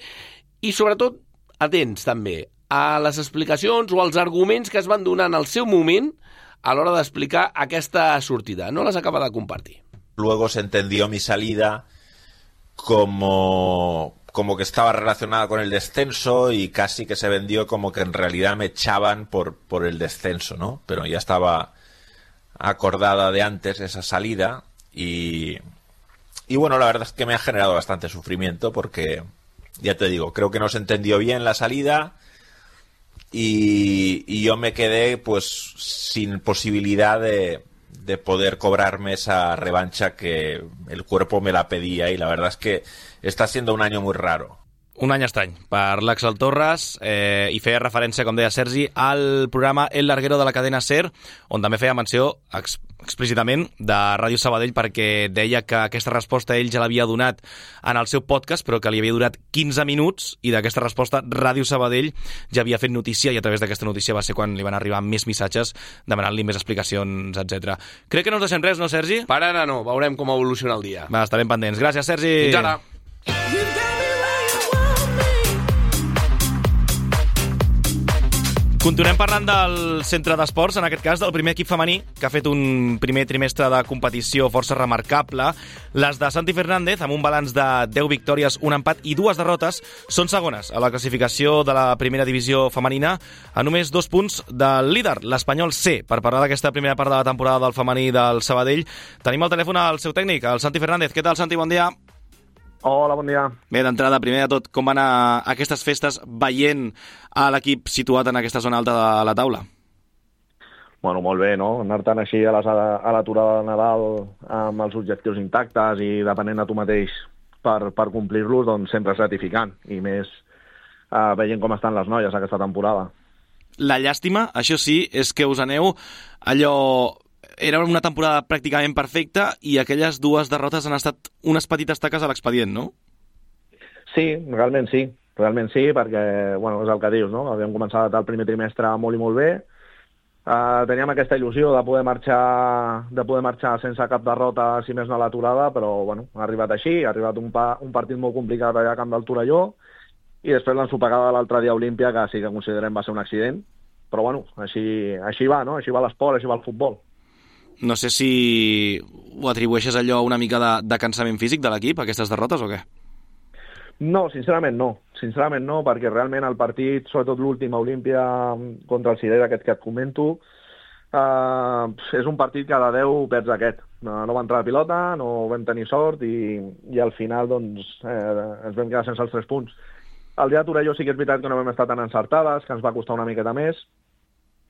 i sobretot atents també a les explicacions o als arguments que es van donar en el seu moment a l'hora d'explicar aquesta sortida. No les acaba de compartir. Luego se entendió mi salida como... como que estaba relacionada con el descenso y casi que se vendió como que en realidad me echaban por, por el descenso, ¿no? Pero ya estaba acordada de antes esa salida y, y bueno, la verdad es que me ha generado bastante sufrimiento porque, ya te digo, creo que no se entendió bien la salida y, y yo me quedé pues sin posibilidad de, de poder cobrarme esa revancha que el cuerpo me la pedía y la verdad es que està sent un any molt raro. Un any estrany per l'Axel Torres eh, i feia referència, com deia Sergi, al programa El Larguero de la cadena SER, on també feia menció ex explícitament de Ràdio Sabadell perquè deia que aquesta resposta ell ja l'havia donat en el seu podcast, però que li havia durat quinze minuts i d'aquesta resposta Ràdio Sabadell ja havia fet notícia i a través d'aquesta notícia va ser quan li van arribar més missatges demanant-li més explicacions, etcètera. Crec que no ens deixem res, no, Sergi? Per ara no, veurem com evoluciona el dia. Va, estarem pendents. Gràcies, Sergi. Fins ara. Continuem parlant del centre d'esports, en aquest cas del primer equip femení, que ha fet un primer trimestre de competició força remarcable. Les de Santi Fernández, amb un balanç de deu victòries, un empat i dues derrotes, són segones a la classificació de la primera divisió femenina, a només dos punts del líder, l'Espanyol C. Per parlar d'aquesta primera part de la temporada del femení del Sabadell, tenim al telèfon el seu tècnic, el Santi Fernández. Què tal, Santi? Bon dia. Hola, bon dia. Bé, d'entrada, primer de tot, com van anar aquestes festes veient a l'equip situat en aquesta zona alta de la taula? Bueno, molt bé, no? Anar tan així a l'aturada de Nadal amb els objectius intactes i depenent de tu mateix per, per complir-los, doncs sempre és gratificant. I més eh, veient com estan les noies aquesta temporada. La llàstima, això sí, és que us aneu allò... Era una temporada pràcticament perfecta i aquelles dues derrotes han estat unes petites taques a l'expedient, no? Sí, realment sí. Realment sí, perquè, bueno, és el que dius, no? Havíem començat el primer trimestre molt i molt bé. Uh, teníem aquesta il·lusió de poder marxar de poder marxar sense cap derrota, si més no a l'aturada, però, bueno, ha arribat així. Ha arribat un, pa, un partit molt complicat allà a Camp del Torelló i després l'ensopegada de l'altre dia a Olímpia, que sí que considerem va ser un accident. Però, bueno, així, així va, no? Així va l'esport, així va el futbol. No sé si ho atribueixes allò una mica de, de cansament físic de l'equip, aquestes derrotes, o què? No, sincerament no. Sincerament no, perquè realment el partit, sobretot l'últim a Olímpia contra el Cirera, aquest que et comento, eh, és un partit que de deu perds aquest. No, no va entrar la pilota, no vam tenir sort i, i al final doncs, eh, ens vam quedar sense els tres punts. El dia de Torelló sí que és veritat que no vam estar tan encertades, que ens va costar una miqueta més,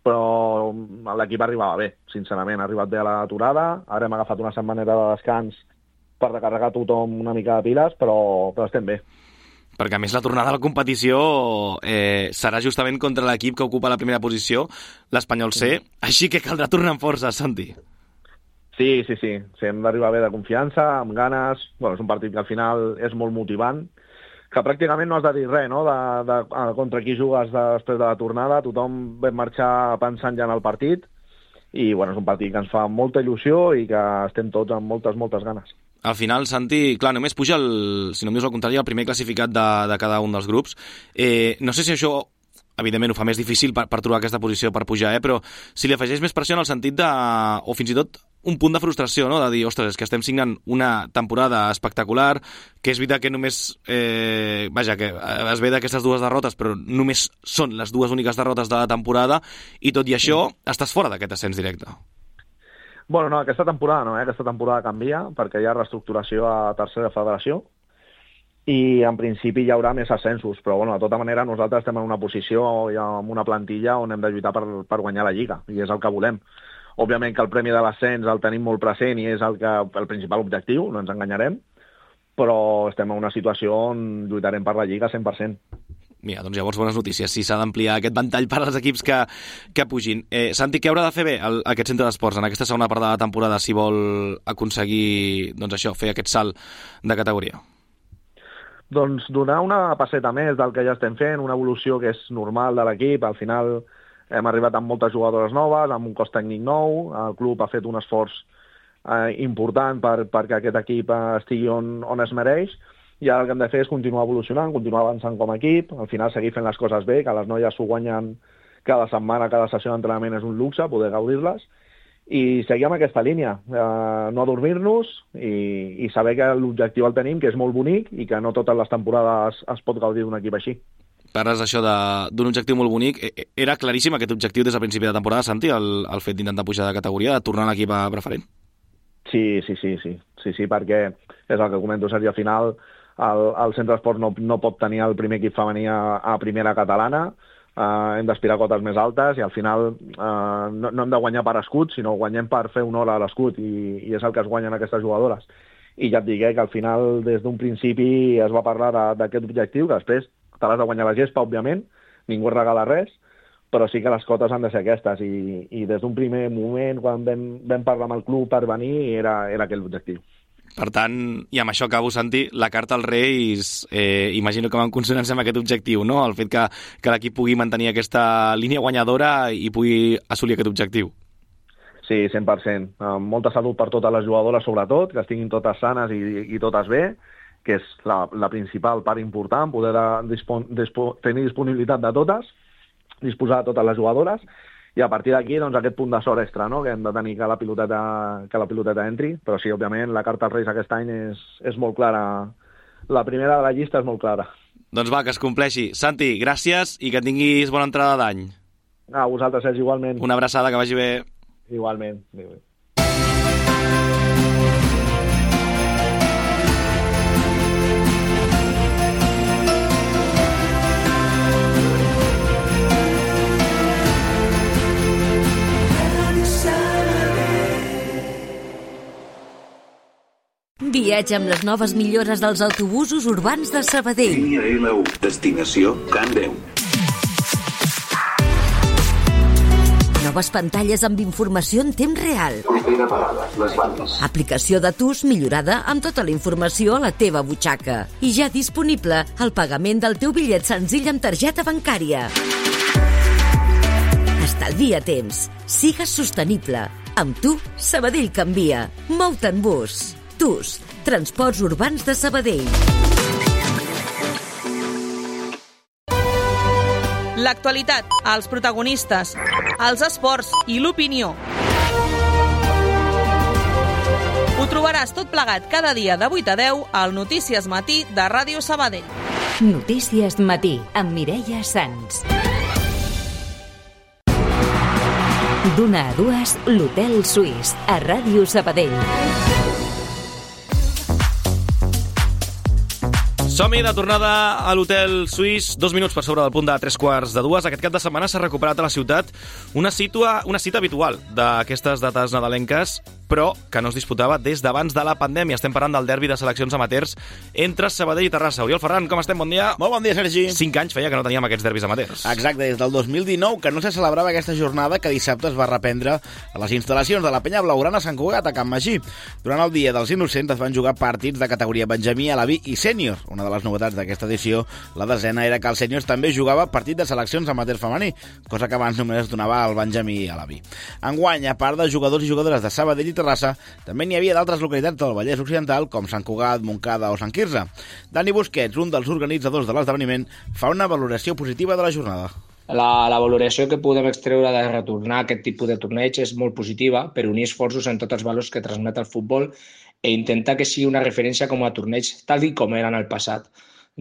però l'equip arribava bé, sincerament, ha arribat bé a l'aturada, ara hem agafat una setmanera de descans per recarregar tothom una mica de piles, però, però estem bé. perquè a més la tornada a la competició eh, serà justament contra l'equip que ocupa la primera posició, l'Espanyol C, així que caldrà tornar amb força, Santi. Sí, sí, sí, sí, hem d'arribar bé de confiança, amb ganes. Bueno, és un partit que al final és molt motivant, que pràcticament no has de dir res, no?, de, de, de contra qui jugues després de la tornada. Tothom ve marxar pensant ja en el partit i bueno, és un partit que ens fa molta il·lusió i que estem tots amb moltes, moltes ganes. Al final, Santi, clar, només puja, el, si no em dius el contrari, el primer classificat de, de cada un dels grups. Eh, no sé si això, evidentment, ho fa més difícil per, per trobar aquesta posició per pujar, eh? Però si li afegeix més pressió en el sentit de... o fins i tot un punt de frustració, no?, de dir, ostres, és que estem signant una temporada espectacular, que és veritat que només... Eh, vaja, que es ve d'aquestes dues derrotes, però només són les dues úniques derrotes de la temporada, i tot i això, estàs fora d'aquest ascens directe. Bueno, no, aquesta temporada no, eh? Aquesta temporada canvia, perquè hi ha reestructuració a tercera federació, i en principi hi haurà més ascensos, però bueno, de tota manera nosaltres estem en una posició i en una plantilla on hem de lluitar per, per guanyar la Lliga, i és el que volem. Òbviament que el premi de l'ascens el tenim molt present i és el, que, el principal objectiu, no ens enganyarem, però estem en una situació on lluitarem per la Lliga cent per cent. Mira, doncs llavors bones notícies, si s'ha d'ampliar aquest ventall per als equips que, que pugin. Eh, Santi, què haurà de fer bé el, aquest centre d'esports en aquesta segona part de la temporada si vol aconseguir, doncs això, fer aquest salt de categoria? Doncs donar una passeta més del que ja estem fent, una evolució que és normal de l'equip. Al final hem arribat amb moltes jugadores noves, amb un cos tècnic nou, el club ha fet un esforç eh, important per, perquè aquest equip estigui on, on es mereix, i ara el que hem de fer és continuar evolucionant, continuar avançant com a equip, al final seguir fent les coses bé, que les noies s'ho guanyen cada setmana, cada sessió d'entrenament és un luxe, poder gaudir-les, i seguir amb aquesta línia, eh, no adormir-nos i, i saber que l'objectiu el tenim, que és molt bonic i que no totes les temporades es pot gaudir d'un equip així. Parles això d'un objectiu molt bonic. Era claríssim aquest objectiu des del principi de temporada, Santi, el, el fet d'intentar pujar de categoria, de tornar a l'equip a preferent? Sí, sí, sí, sí, sí, sí, perquè és el que comento, Sergi, al final el, el Centre d'Esports no, no pot tenir el primer equip femení a, a primera catalana, eh, hem d'aspirar a cotes més altes i al final eh, no, no hem de guanyar per escut, sinó guanyem per fer honor a l'escut i, i és el que es guanyen aquestes jugadores. I ja et dic eh, que al final des d'un principi es va parlar d'aquest objectiu, que després te l'has de guanyar la gespa, òbviament, ningú es regala res, però sí que les cotes han de ser aquestes i, i des d'un primer moment, quan vam, vam parlar amb el club per venir, era, era aquest l'objectiu. Per tant, i amb això acabo, Santi, la carta als Reis, eh, imagino que va en consonància amb aquest objectiu, no? El fet que, que l'equip pugui mantenir aquesta línia guanyadora i pugui assolir aquest objectiu. Sí, cent per cent. Amb molta salut per totes les jugadores, sobretot, que estiguin totes sanes i, i totes bé, que és la, la principal part important, poder de, dispon, dispo, tenir disponibilitat de totes, disposar de totes les jugadores, i a partir d'aquí doncs, aquest punt de sort extra, no?, que hem de tenir que la piloteta, que la piloteta entri, però sí, òbviament, la carta als Reis aquest any és, és molt clara. La primera de la llista és molt clara. Doncs va, que es compleixi. Santi, gràcies i que tinguis bona entrada d'any. A vosaltres, Sergi, igualment. Una abraçada, que vagi bé. Igualment. Adéu. Viatge amb les noves millores dels autobusos urbans de Sabadell. Línia L u, destinació Can Deu. Noves pantalles amb informació en temps real. Propera parada, les bandes. Aplicació de T U S millorada amb tota la informació a la teva butxaca. I ja disponible el pagament del teu bitllet senzill amb targeta bancària. Estalvia temps. Sigues sostenible. Amb tu, Sabadell canvia. Mou-te en bus. T U S, Transports Urbans de Sabadell. L'actualitat, els protagonistes, els esports i l'opinió. Ho trobaràs tot plegat cada dia de vuit a deu al Notícies Matí de Ràdio Sabadell. Notícies Matí, amb Mireia Sans. D'una a dues, l'Hotel Suís, a Ràdio Sabadell. Som-hi de tornada a l'Hotel Suís, dos minuts per sobre del punt de tres quarts de dues. Aquest cap de setmana s'ha recuperat a la ciutat una, situa, una cita habitual d'aquestes dates nadalenques, però que no es disputava des d'abans de la pandèmia. Estem parlant del derbi de seleccions amateurs entre Sabadell i Terrassa. Oriol Ferran, com estem? Bon dia. Molt bon dia, Sergi. Cinc anys feia que no teníem aquests derbis amateurs. Exacte, des del dos mil dinou que no se celebrava aquesta jornada que dissabte es va reprendre a les instal·lacions de la Penya Blaugrana a Sant Cugat, a Can Magí. Durant el Dia dels Innocents es van jugar partits de categoria Benjamí, Alaví i Sènior. Una de les novetats d'aquesta edició, la desena, era que el Sèniors també jugava partit de seleccions amateurs femení, cosa que abans només es donava al Benjamí i Alaví. Enguany, a part de jugadors i jugadores de Sabadell i Terrassa, també n'hi havia d'altres localitats del Vallès Occidental, com Sant Cugat, Montcada o Sant Quirze. Dani Busquets, un dels organitzadors de l'esdeveniment, fa una valoració positiva de la jornada. La, la valoració que podem extreure de retornar a aquest tipus de torneig és molt positiva per unir esforços en tots els valors que transmet el futbol i intentar que sigui una referència com a torneig tal com era en el passat.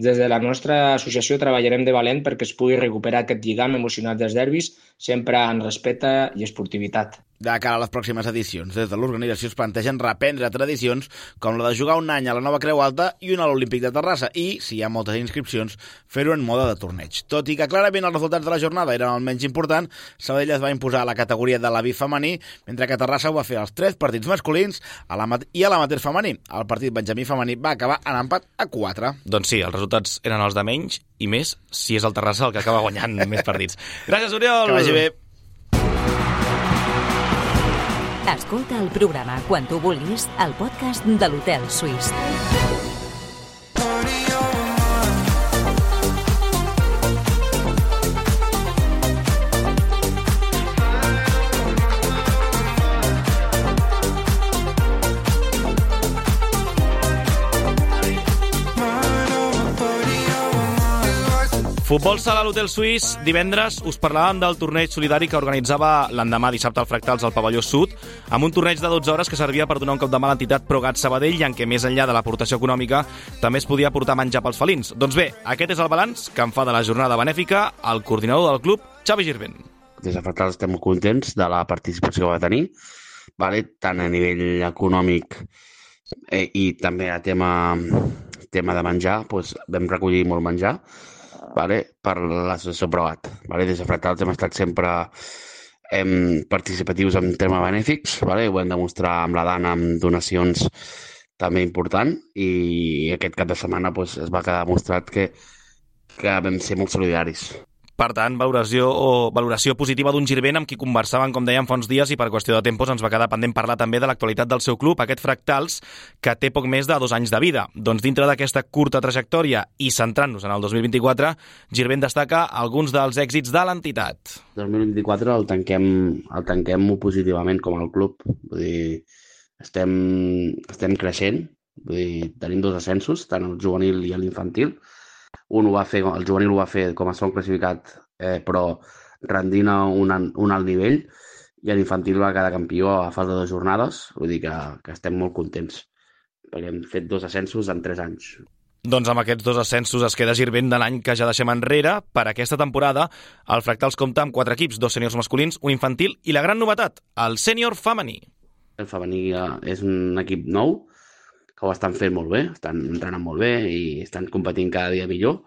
Des de la nostra associació treballarem de valent perquè es pugui recuperar aquest lligam emocional dels derbis, sempre en respecte i esportivitat. De cara a les pròximes edicions, des de l'organització es plantegen reprendre tradicions com la de jugar un any a la Nova Creu Alta i un a l'Olímpic de Terrassa i, si hi ha moltes inscripcions, fer-ho en mode de torneig. Tot i que clarament els resultats de la jornada eren el menys important, Sabadell es va imposar a la categoria de l'A V I femení, mentre que Terrassa ho va fer als tres partits masculins a i a l'amateur femení. El partit Benjamí femení va acabar en empat a quatre. Doncs sí, els resultats eren els de menys i més si és el Terrassa el que acaba guanyant més partits. Gràcies, Oriol! Que vagi bé! Escolta el programa quan tu vulguis al podcast de l'Hotel Suís. Futbol sala a l'Hotel Suís. Divendres us parlàvem del torneig solidari que organitzava l'endemà dissabte al Fractals al Pavelló Sud, amb un torneig de dotze hores que servia per donar un cop de mà a l'entitat Progat Sabadell i en què, més enllà de l'aportació econòmica, també es podia portar menjar pels felins. Doncs bé, aquest és el balanç que en fa de la jornada benèfica el coordinador del club, Xavi Girvent. Des de Fractals estem molt contents de la participació que va tenir, vale? Tant a nivell econòmic eh, i també a tema, tema de menjar, doncs vam recollir molt menjar, vale, per l'associació Progat. Vale? Des de Fractals hem estat sempre hem, participatius en temes benèfics, vale? Ho hem demostrar amb la Dana amb donacions també important i aquest cap de setmana pues, es va quedar demostrat que, que vam ser molt solidaris. Per tant, valoració, o valoració positiva d'un Girvent amb qui conversàvem, com dèiem, fa uns dies i per qüestió de tempos ens va quedar pendent parlar també de l'actualitat del seu club, aquest Fractals, que té poc més de dos anys de vida. Doncs dintre d'aquesta curta trajectòria i centrant-nos en el dos mil vint-i-quatre, Girvent destaca alguns dels èxits de l'entitat. El dos mil vint-i-quatre el tanquem, el tanquem molt positivament com el club. Vull dir, estem, estem creixent, vull dir, tenim dos ascensos, tant el juvenil i l'infantil. Un ho va fer, el juvenil ho va fer com a segon classificat, eh, però rendint a un, un alt nivell, i l'infantil va quedar campió a falta de dues jornades, vull dir que, que estem molt contents, perquè hem fet dos ascensos en tres anys. Doncs amb aquests dos ascensos es queda Girvent de l'any que ja deixem enrere. Per aquesta temporada, el Fractals compta amb quatre equips, dos sèniors masculins, un infantil i la gran novetat, el sènior femení. El femení és un equip nou, que ho estan fent molt bé, estan entrenant molt bé i estan competint cada dia millor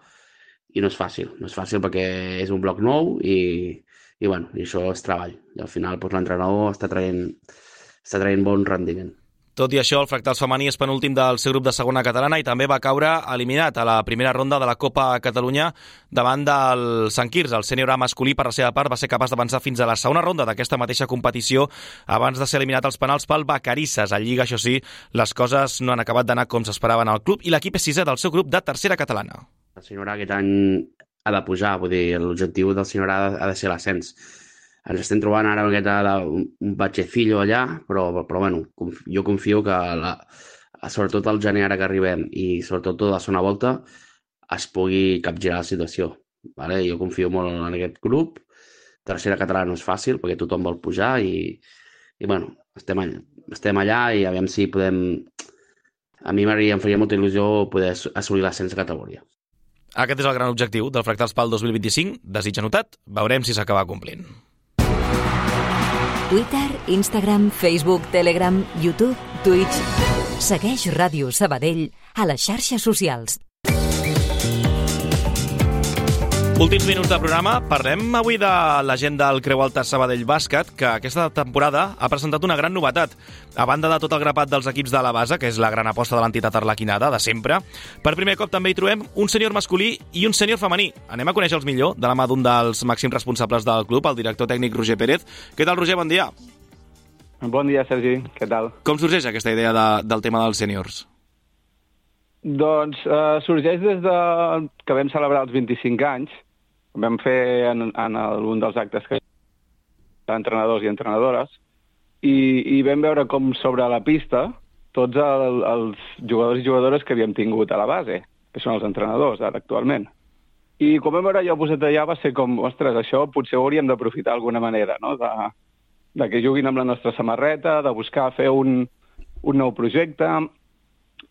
i no és fàcil, no és fàcil perquè és un bloc nou i, i, bueno, i això és treball i al final doncs, l'entrenador està traient, està traient bon rendiment. Tot i això, el Fractals femení és penúltim del seu grup de segona catalana i també va caure eliminat a la primera ronda de la Copa Catalunya davant del Sant Quirze. El sènior A masculí, per la seva part, va ser capaç d'avançar fins a la segona ronda d'aquesta mateixa competició abans de ser eliminat als penals pel Vacarisses. A Lliga, això sí, les coses no han acabat d'anar com s'esperaven al club i l'equip és sisè del seu grup de tercera catalana. El sènior A aquest any ha de pujar, vull dir, l'objectiu del sènior A ha de ser l'ascens. Ens estem trobant ara aquest, un batxecillo allà, però, però bueno, jo confio que la, sobretot el gener ara que arribem i sobretot tota la segona volta es pugui capgirar la situació. Vale? Jo confio molt en aquest grup. Tercera catalana no és fàcil perquè tothom vol pujar i, i bueno, estem allà, estem allà i aviam si podem... A mi em faria molta il·lusió poder assolir l'ascens de categoria. Aquest és el gran objectiu del Fractals pel dos mil vint-i-cinc. Desig anotat, veurem si s'acaba complint. Twitter, Instagram, Facebook, Telegram, YouTube, Twitch. Segueix Ràdio Sabadell a les xarxes socials. Últims minuts de programa. Parlem avui de la gent del Creu Alta Sabadell Bàsquet, que aquesta temporada ha presentat una gran novetat. A banda de tot el grapat dels equips de la base, que és la gran aposta de l'entitat arlequinada, de sempre, per primer cop també hi trobem un sènior masculí i un sènior femení. Anem a conèixer-los millor, de la mà d'un dels màxims responsables del club, el director tècnic Roger Pérez. Què tal, Roger? Bon dia. Bon dia, Sergi. Què tal? Com sorgeix aquesta idea de, del tema dels sèniors? Doncs eh, sorgeix des de que vam celebrar els vint-i-cinc anys. Vam fer en, en el, un dels actes que d'entrenadors i entrenadores i, i vam veure com sobre la pista tots el, els jugadors i jugadores que havíem tingut a la base, que són els entrenadors ara actualment. I quan vam veure allò posat allà va ser com, ostres, això potser ho hauríem d'aprofitar d'alguna manera, no? de, de que juguin amb la nostra samarreta, de buscar fer un, un nou projecte,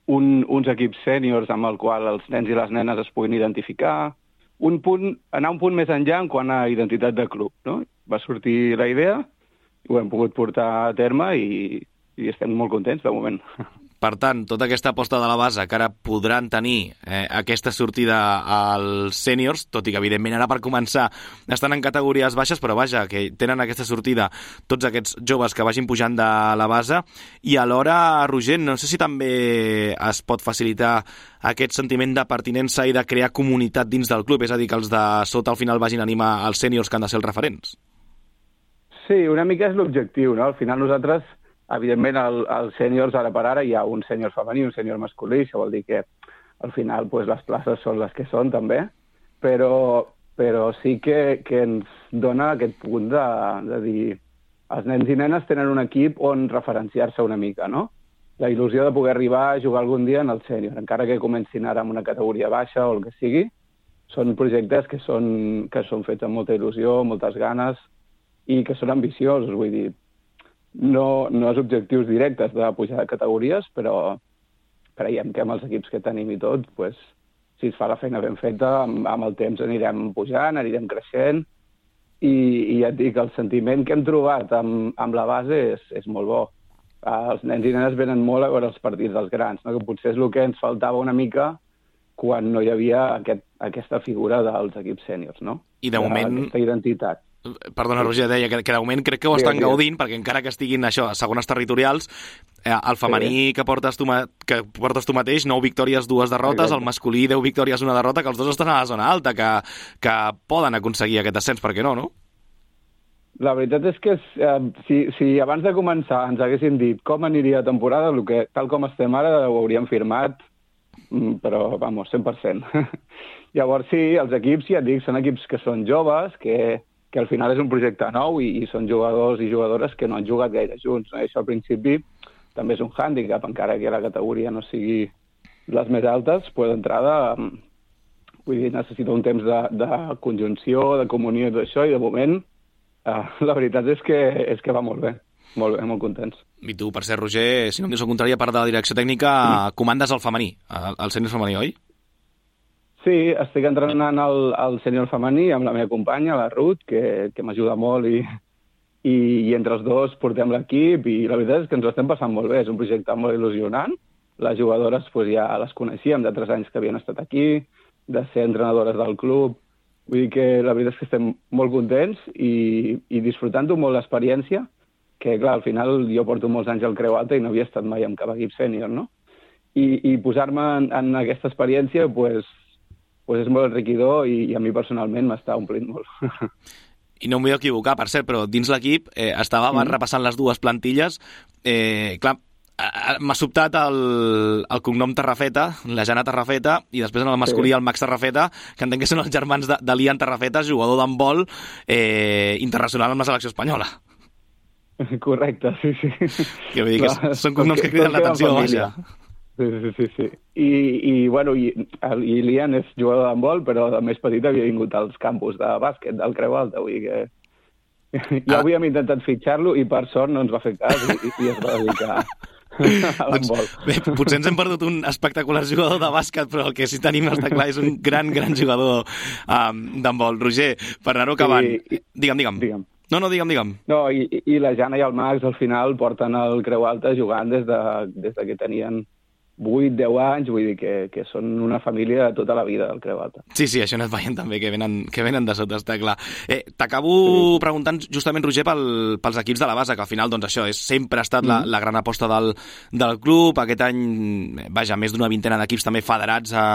un, uns equips sèniors amb el qual els nens i les nenes es puguin identificar, un punt, anar un punt més enllà en quant a identitat de club, no? Va sortir la idea, ho hem pogut portar a terme i, i estem molt contents de moment. Per tant, tota aquesta aposta de la base que ara podran tenir eh, aquesta sortida als sèniors, tot i que evidentment ara per començar estan en categories baixes, però vaja, que tenen aquesta sortida tots aquests joves que vagin pujant de la base, i alhora, Roger, no sé si també es pot facilitar aquest sentiment de pertinença i de crear comunitat dins del club, és a dir, que els de sota al final vagin a animar els sèniors que han de ser els referents. Sí, una mica és l'objectiu, no? Al final nosaltres, evidentment, als sèniors ara per ara hi ha un sènior femení i un sènior masculí, això vol dir que al final pues, les places són les que són també, però, però sí que, que ens dona aquest punt de, de dir els nens i nenes tenen un equip on referenciar-se una mica, no? La il·lusió de poder arribar a jugar algun dia en el sènior, encara que comencin ara amb una categoria baixa o el que sigui, són projectes que són, que són fets amb molta il·lusió, moltes ganes i que són ambiciosos, vull dir, No, no és objectius directes de pujar de categories, però creiem que amb els equips que tenim i tot, pues, si es fa la feina ben feta, amb, amb el temps anirem pujant, anirem creixent, i, i ja et dic, el sentiment que hem trobat amb, amb la base és, és molt bo. Els nens i nenes venen molt a veure els partits dels grans, no? Que potser és el que ens faltava una mica quan no hi havia aquest, aquesta figura dels equips sèniors, no? I de moment... Aquesta identitat. Perdona, Roger, deia que, que de moment crec que ho estan sí, gaudint, perquè encara que estiguin això a segones territorials, eh, el femení sí. que, portes tu que portes tu mateix, nou victòries, dues derrotes, exacte. El masculí, deu victòries, una derrota, que els dos estan a la zona alta, que, que poden aconseguir aquest ascens, per què no, no? La veritat és que eh, si, si abans de començar ens haguessin dit com aniria la temporada, el que, tal com estem ara ho hauríem firmat, però, vamos, cent per cent. Llavors sí, els equips, ja et dic, són equips que són joves, que que al final és un projecte nou i, i són jugadors i jugadores que no han jugat gaire junts. No? Això al principi també és un hàndicap, encara que la categoria no sigui les més altes, pues d'entrada vull dir, necessita un temps de, de conjunció, de comunió i tot això, i de moment eh, la veritat és que, és que va molt bé, molt bé, molt contents. I tu, per ser, Roger, si no em dius el contrari, a part de la direcció tècnica, mm. comandes el femení, el, el sènior femení, oi? Sí, estic entrenant el, el sènior femení amb la meva companya, la Ruth, que, que m'ajuda molt i, i, i entre els dos portem l'equip i la veritat és que ens ho estem passant molt bé. És un projecte molt il·lusionant. Les jugadores pues, ja les coneixíem de tres anys que havien estat aquí, de ser entrenadores del club. Vull dir que la veritat és que estem molt contents i, i disfrutant-ho molt l'experiència, que clar, al final jo porto molts anys al Creu Alta i no havia estat mai amb cap equip sènior, no? I, i posar-me en, en aquesta experiència, pues, pues és molt enriquidor i, i a mi personalment m'està omplint molt. I no em vull equivocar, per cert, però dins l'equip eh, estava mm. repassant les dues plantilles. Eh, clar, m'ha sobtat el, el cognom Tarrafeta, la Jana Tarrafeta, i després en el masculí sí. el Max Tarrafeta, que entenc que són els germans de, de l'Ian Tarrafeta, jugador d'handbol eh, internacional amb la selecció espanyola. Correcte, sí, sí. Que vull dir que no, són cognoms que criden l'atenció, vaja. Sí, sí, sí, sí. I, i bueno, i, i l'Ian és jugador d'handbol, però de més petit havia vingut als campus de bàsquet del Creu Alta, vull dir que ja ah. havíem intentat fitxar-lo i per sort no ens va fer cas i, i es va dedicar a l'handbol. Doncs, bé, potser ens hem perdut un espectacular jugador de bàsquet, però el que sí tenim està clar és un gran, gran jugador um, d'handbol. Roger, per anar-ho acabant, sí, digue'm, digue'm. Digue'm. No, no, digue'm, digue'm. No, i, i la Jana i el Max al final porten el Creu Alta jugant des de, des de que tenien vuit deu anys, vull dir que, que són una família de tota la vida del Creu Alta. Sí, sí, això no es veient també, que venen, que venen de sota, està clar. Eh, T'acabo sí. preguntant justament, Roger, pel, pels equips de la base, que al final, doncs això, és, sempre ha estat mm. la, la gran aposta del, del club. Aquest any, vaja, més d'una vintena d'equips també federats a,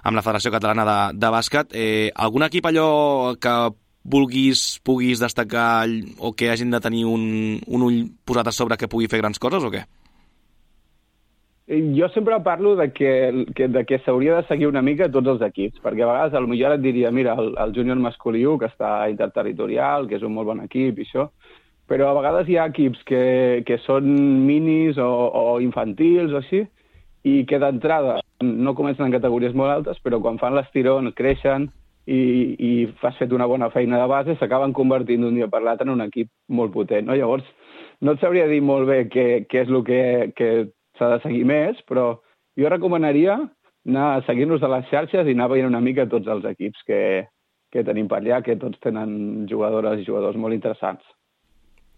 amb la Federació Catalana de, de Bàsquet. Eh, algun equip allò que vulguis, puguis destacar o que hagin de tenir un, un ull posat a sobre que pugui fer grans coses o què? Jo sempre parlo de que, que, de que s'hauria de seguir una mica tots els equips, perquè a vegades potser et diria, mira, el, el júnior masculí u, que està interterritorial, que és un molt bon equip i això, però a vegades hi ha equips que, que són minis o, o infantils o així, i que d'entrada no comencen en categories molt altes, però quan fan l'estirón, creixen i, i fas fet una bona feina de base, s'acaben convertint d'un dia per l'altre en un equip molt potent, no? Llavors, no et sabria dir molt bé què, què és el que... que s'ha de seguir més, però jo recomanaria anar a seguir-nos a les xarxes i anar veient una mica tots els equips que, que tenim per allà, que tots tenen jugadores i jugadors molt interessants.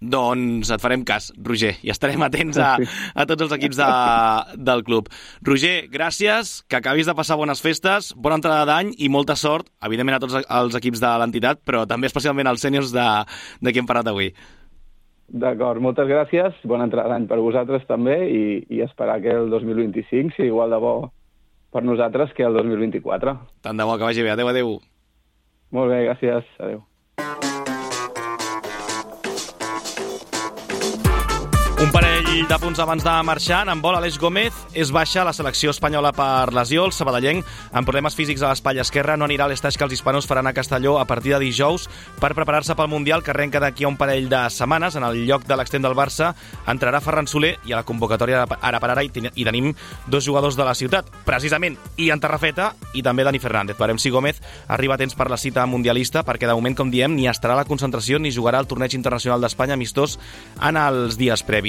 Doncs et farem cas, Roger, i estarem atents a, a tots els equips de, del club. Roger, gràcies, que acabis de passar bones festes, bona entrada d'any i molta sort, evidentment a tots els equips de l'entitat, però també especialment als sèniors de, de qui hem parlat avui. D'acord, moltes gràcies, bona entrada d'any per vosaltres també i, i esperar que el dos mil vint-i-cinc sigui igual de bo per nosaltres que el dos mil vint-i-quatre. Tant de bo, que vagi bé. Adéu, adéu. Molt bé, gràcies. Adéu. Un parell de punts abans de marxar, en vol Aleix Gómez, és baixa la selecció espanyola per lesió. El sabadellenc, amb problemes físics a l'espatlla esquerra, no anirà a l'estaix que els hispanos faran a Castelló a partir de dijous per preparar-se pel Mundial, que arrenca d'aquí a un parell de setmanes. En el lloc de l'extrem del Barça entrarà Ferran Soler i a la convocatòria ara per ara hi tenim dos jugadors de la ciutat, precisament Ian Tarrafeta i també Dani Fernández. Veurem si Gómez arriba a temps per la cita mundialista, perquè de moment, com diem, ni estarà a la concentració ni jugarà al torneig internacional d'Espanya amistós en els dies previs.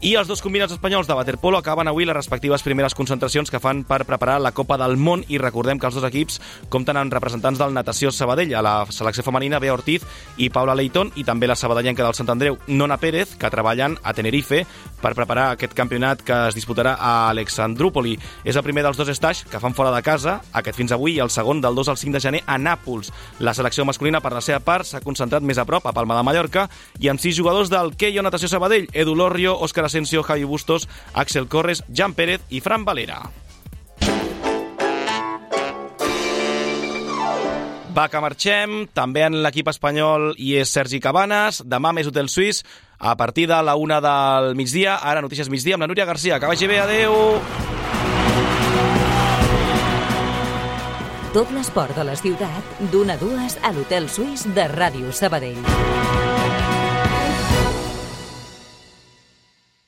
I els dos combinats espanyols de waterpolo acaben avui les respectives primeres concentracions que fan per preparar la Copa del Món, i recordem que els dos equips compten amb representants del Natació Sabadell. A la selecció femenina, Bea Ortiz i Paula Leitón, i també la sabadellenca del Sant Andreu, Nona Pérez, que treballen a Tenerife per preparar aquest campionat que es disputarà a Alexandrúpoli. És el primer dels dos estaix que fan fora de casa, aquest fins avui, i el segon del dos al cinc de gener a Nàpols. La selecció masculina, per la seva part, s'ha concentrat més a prop, a Palma de Mallorca, i amb sis jugadors del Keio Natació Sabadell: Edu Lorrio, Òscar Asensio, Javi Bustos, Axel Corres, Jan Pérez i Fran Valera. Va, que marxem. També en l'equip espanyol hi és Sergi Cabanes. Demà més Hotel Suís a partir de la una del migdia. Ara Notícies Migdia amb la Núria Garcia. Que vagi bé, adeu! Tot l'esport de la ciutat d'una a dues a l'Hotel Suís de Ràdio Sabadell.